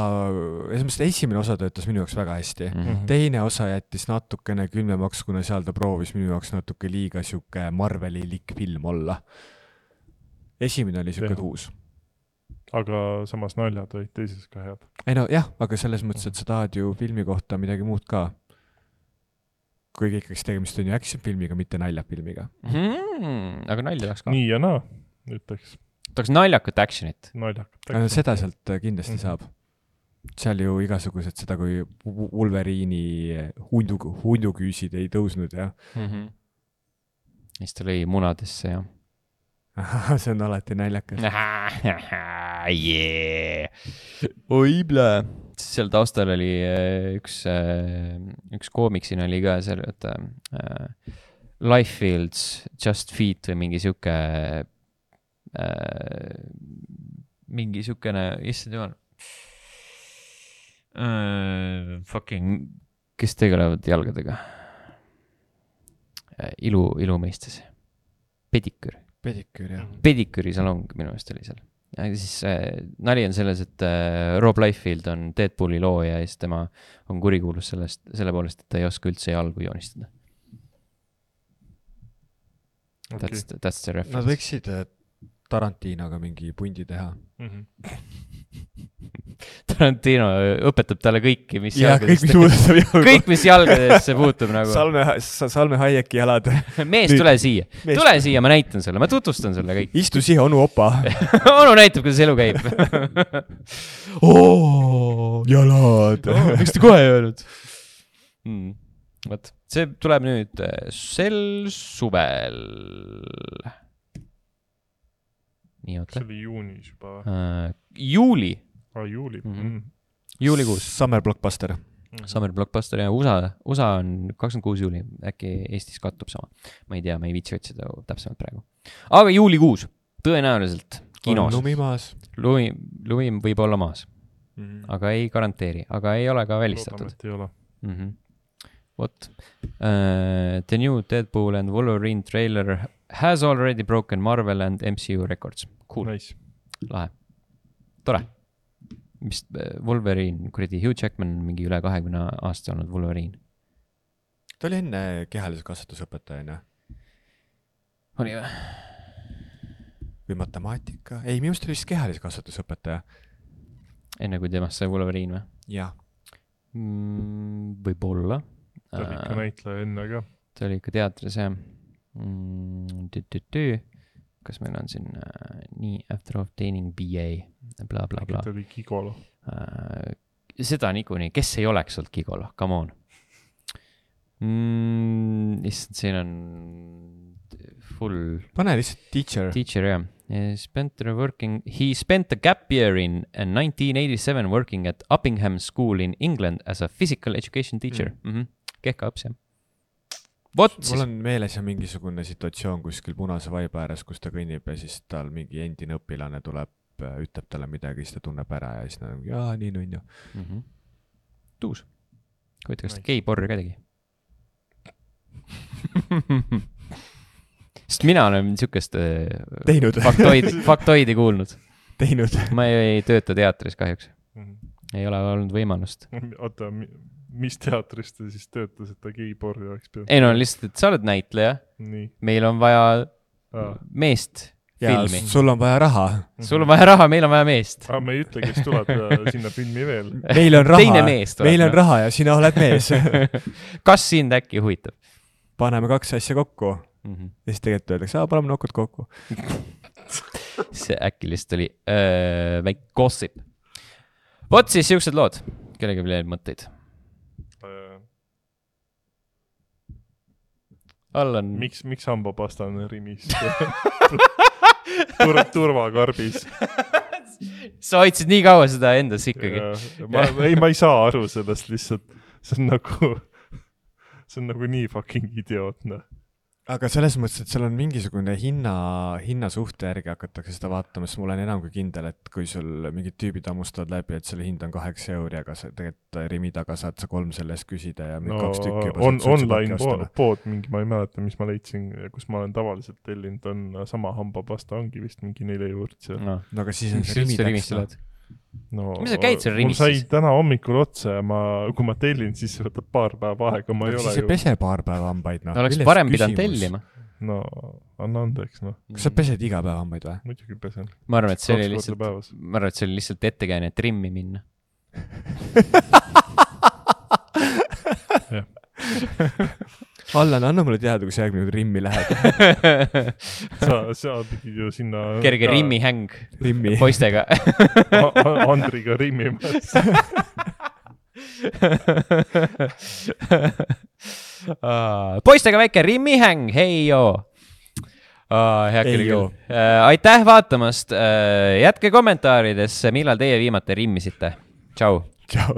esimene osa töötas minu jaoks väga hästi. Teine osa jättis natukene külmemaks, kuna seal ta proovis minu jaoks natuke liiga siuke Marveli-lik film olla. Esimene oli siuke tuus. Aga samas naljad olid teises ka head. Ei no jah, aga selles mõttes, et sa tahad ju filmi kohta midagi muud ka. Kuigi ikkagi tegemist on ju action-filmiga, mitte naljafilmiga. Aga nalja tahaks ka. Nii ja naa, ütleks. Tahaks naljakat actionit. Seda sealt kindlasti saab. Seal ju igasugused seda, kui Wolverine'i hunduküüsid ei tõusnud ja. Siis ta lõi munadesse ja. See on alati naljakas. Oibla. Seal taustal oli üks koomiksin oli ka seal, et Lifefields, Just Feet või mingi sükene, issand jumal. Kes tegelevad jalgadega? Ilu mõistes. Pediküür, jah. Pediküüri salong minu meelest oli seal. Ja siis nali on selles, et Rob Liefeld on Deadpooli looja ja siis tema on kurikuulus selle poolest, et ta ei oska üldse jalgu joonistada. Okay. That's the reference. Nad võiksid Tarantinoga mingi pundi teha. Tarantino õpetab talle kõiki, mis jalgadesse puutub nagu. Salme Hayeki jalad. Mees, tule siia. Tule siia, ma näitan sulle, ma tutvustan sulle kõik. Istu siia, onu opa. Onu näitab, kuidas elu käib. Jalad. Miks te kohe ei öelnud? Võt, see tuleb nüüd sel suvel. Nii, oota. See oli juunis juba. Juuli. Juuli. Juulikuus. Summer Blockbuster. Summer Blockbuster ja USA on 26 juuli. Äkki Eestis kattub sama. Ma ei tea, ma ei viitsi otsida täpsemalt praegu. Aga juulikuus. Tõenäoliselt kinos. On lumi maas. Lumi võib olla maas. Aga ei garanteeri. Aga ei ole ka välistatud. Loodame, et ei ole. What? The new Deadpool and Wolverine trailer has already broken Marvel and MCU records. Cool. Nice. Lahe. Tore. Mis Wolverine, kuradi Hugh Jackman on mingi üle 20 aasta olnud Wolverine. Ta oli enne kehalise kasvatusõpetajana. Oli või? Või matemaatika? Ei, minu oli vist kehalise kasvatusõpetaja. Enne kui temast sai Wolverine või? Jah. Võib-olla. Ta oli ikka näitleja enne ka. Ta oli ikka teatris, jah. Kas meil on siin nii after obtaining BA bla bla bla. Ta oli Gigolo. Seda niikuinii, kes ei oleks olnud Gigolo, come on. Siin on full pane lihtsalt teacher, jah. He spent a gap year in 1987 working at Uppingham School in England as a physical education teacher. Kehka õps, jah. Mul on meeles ja mingisugune situatsioon kuskil punase vaiba ääres, kus ta kõnnib ja siis tal mingi endine õpilane tuleb, ütleb talle midagi, siis ta tunneb ära ja siis ta on, jaa, nii on ju. Tuus. Kuita, kas ta geiporri ka tegi? Sest mina olen niisugust faktoidi kuulnud. Teinud. Ma ei tööta teatris kahjuks. Ei ole olnud võimalust. Oota, mis teatris te siis töötasite geiporri oleks peal? Ei no lihtsalt, et sa oled näitleja. Nii. Meil on vaja meest filmi. Sul on vaja raha. Sul on vaja raha, meil on vaja meest. Me ei ütle, kes tuleb sinna filmi veel. Meil on raha. Teine mees tuleb. Meil on raha ja sina oled mees. Kas sind äkki huvitab? Paneme 2 asja kokku. Ja siis tegelikult öeldakse, paneme nokkud kokku. See äkki lihtsalt oli väike gossip. Vot siis siuksed lood. Kellegi veel mõtteid? Allan. Miks hambapasta on Rimis? Turvakarbis. Sa hoidsid nii kaua seda endas ikkagi. Ma ei saa aru sellest lihtsalt. See on nagu nii fucking idiootne. Aga selles mõttes, et seal on mingisugune hinnasuhte järgi hakatakse seda vaatama, sest mul on enam kui kindel, et kui sul mingid tüübid hammustavad läbi, et selle hind on 8 €, aga sa tegelikult Rimi taga saad sa 3 sellest küsida ja 2 tükki juba online pood mingi, ma ei mäleta, mis ma leidsin, kus ma olen tavaliselt tellinud, on sama hambapasta, ongi vist mingi 4 €. No aga siis on see Rimi täks. No, mis sa käid seal Rimis? Mul sai täna hommikul otsa ja kui ma tellin, siis võtab paar päeva aega, ma ei ole siis ei pese paar päeva hambaid, noh. Oleks parem pidanud tellima. No, anna andeks, noh. Kas sa pesed iga päeva hambaid või? Muidugi pesen. Ma arvan, et see oli lihtsalt ettekääne trimmi minna. Allan, anna mulle teada, kui sa järgmine Rimmi lähed. Sa pidid ju sinna... Kerge Rimmi häng poistega. Andriga Rimmimas. Poistega väike Rimmi häng, hei joo. Aitäh vaatamast. Jätke kommentaaridesse, millal teie viimati rimmisite. Tšau. Tšau.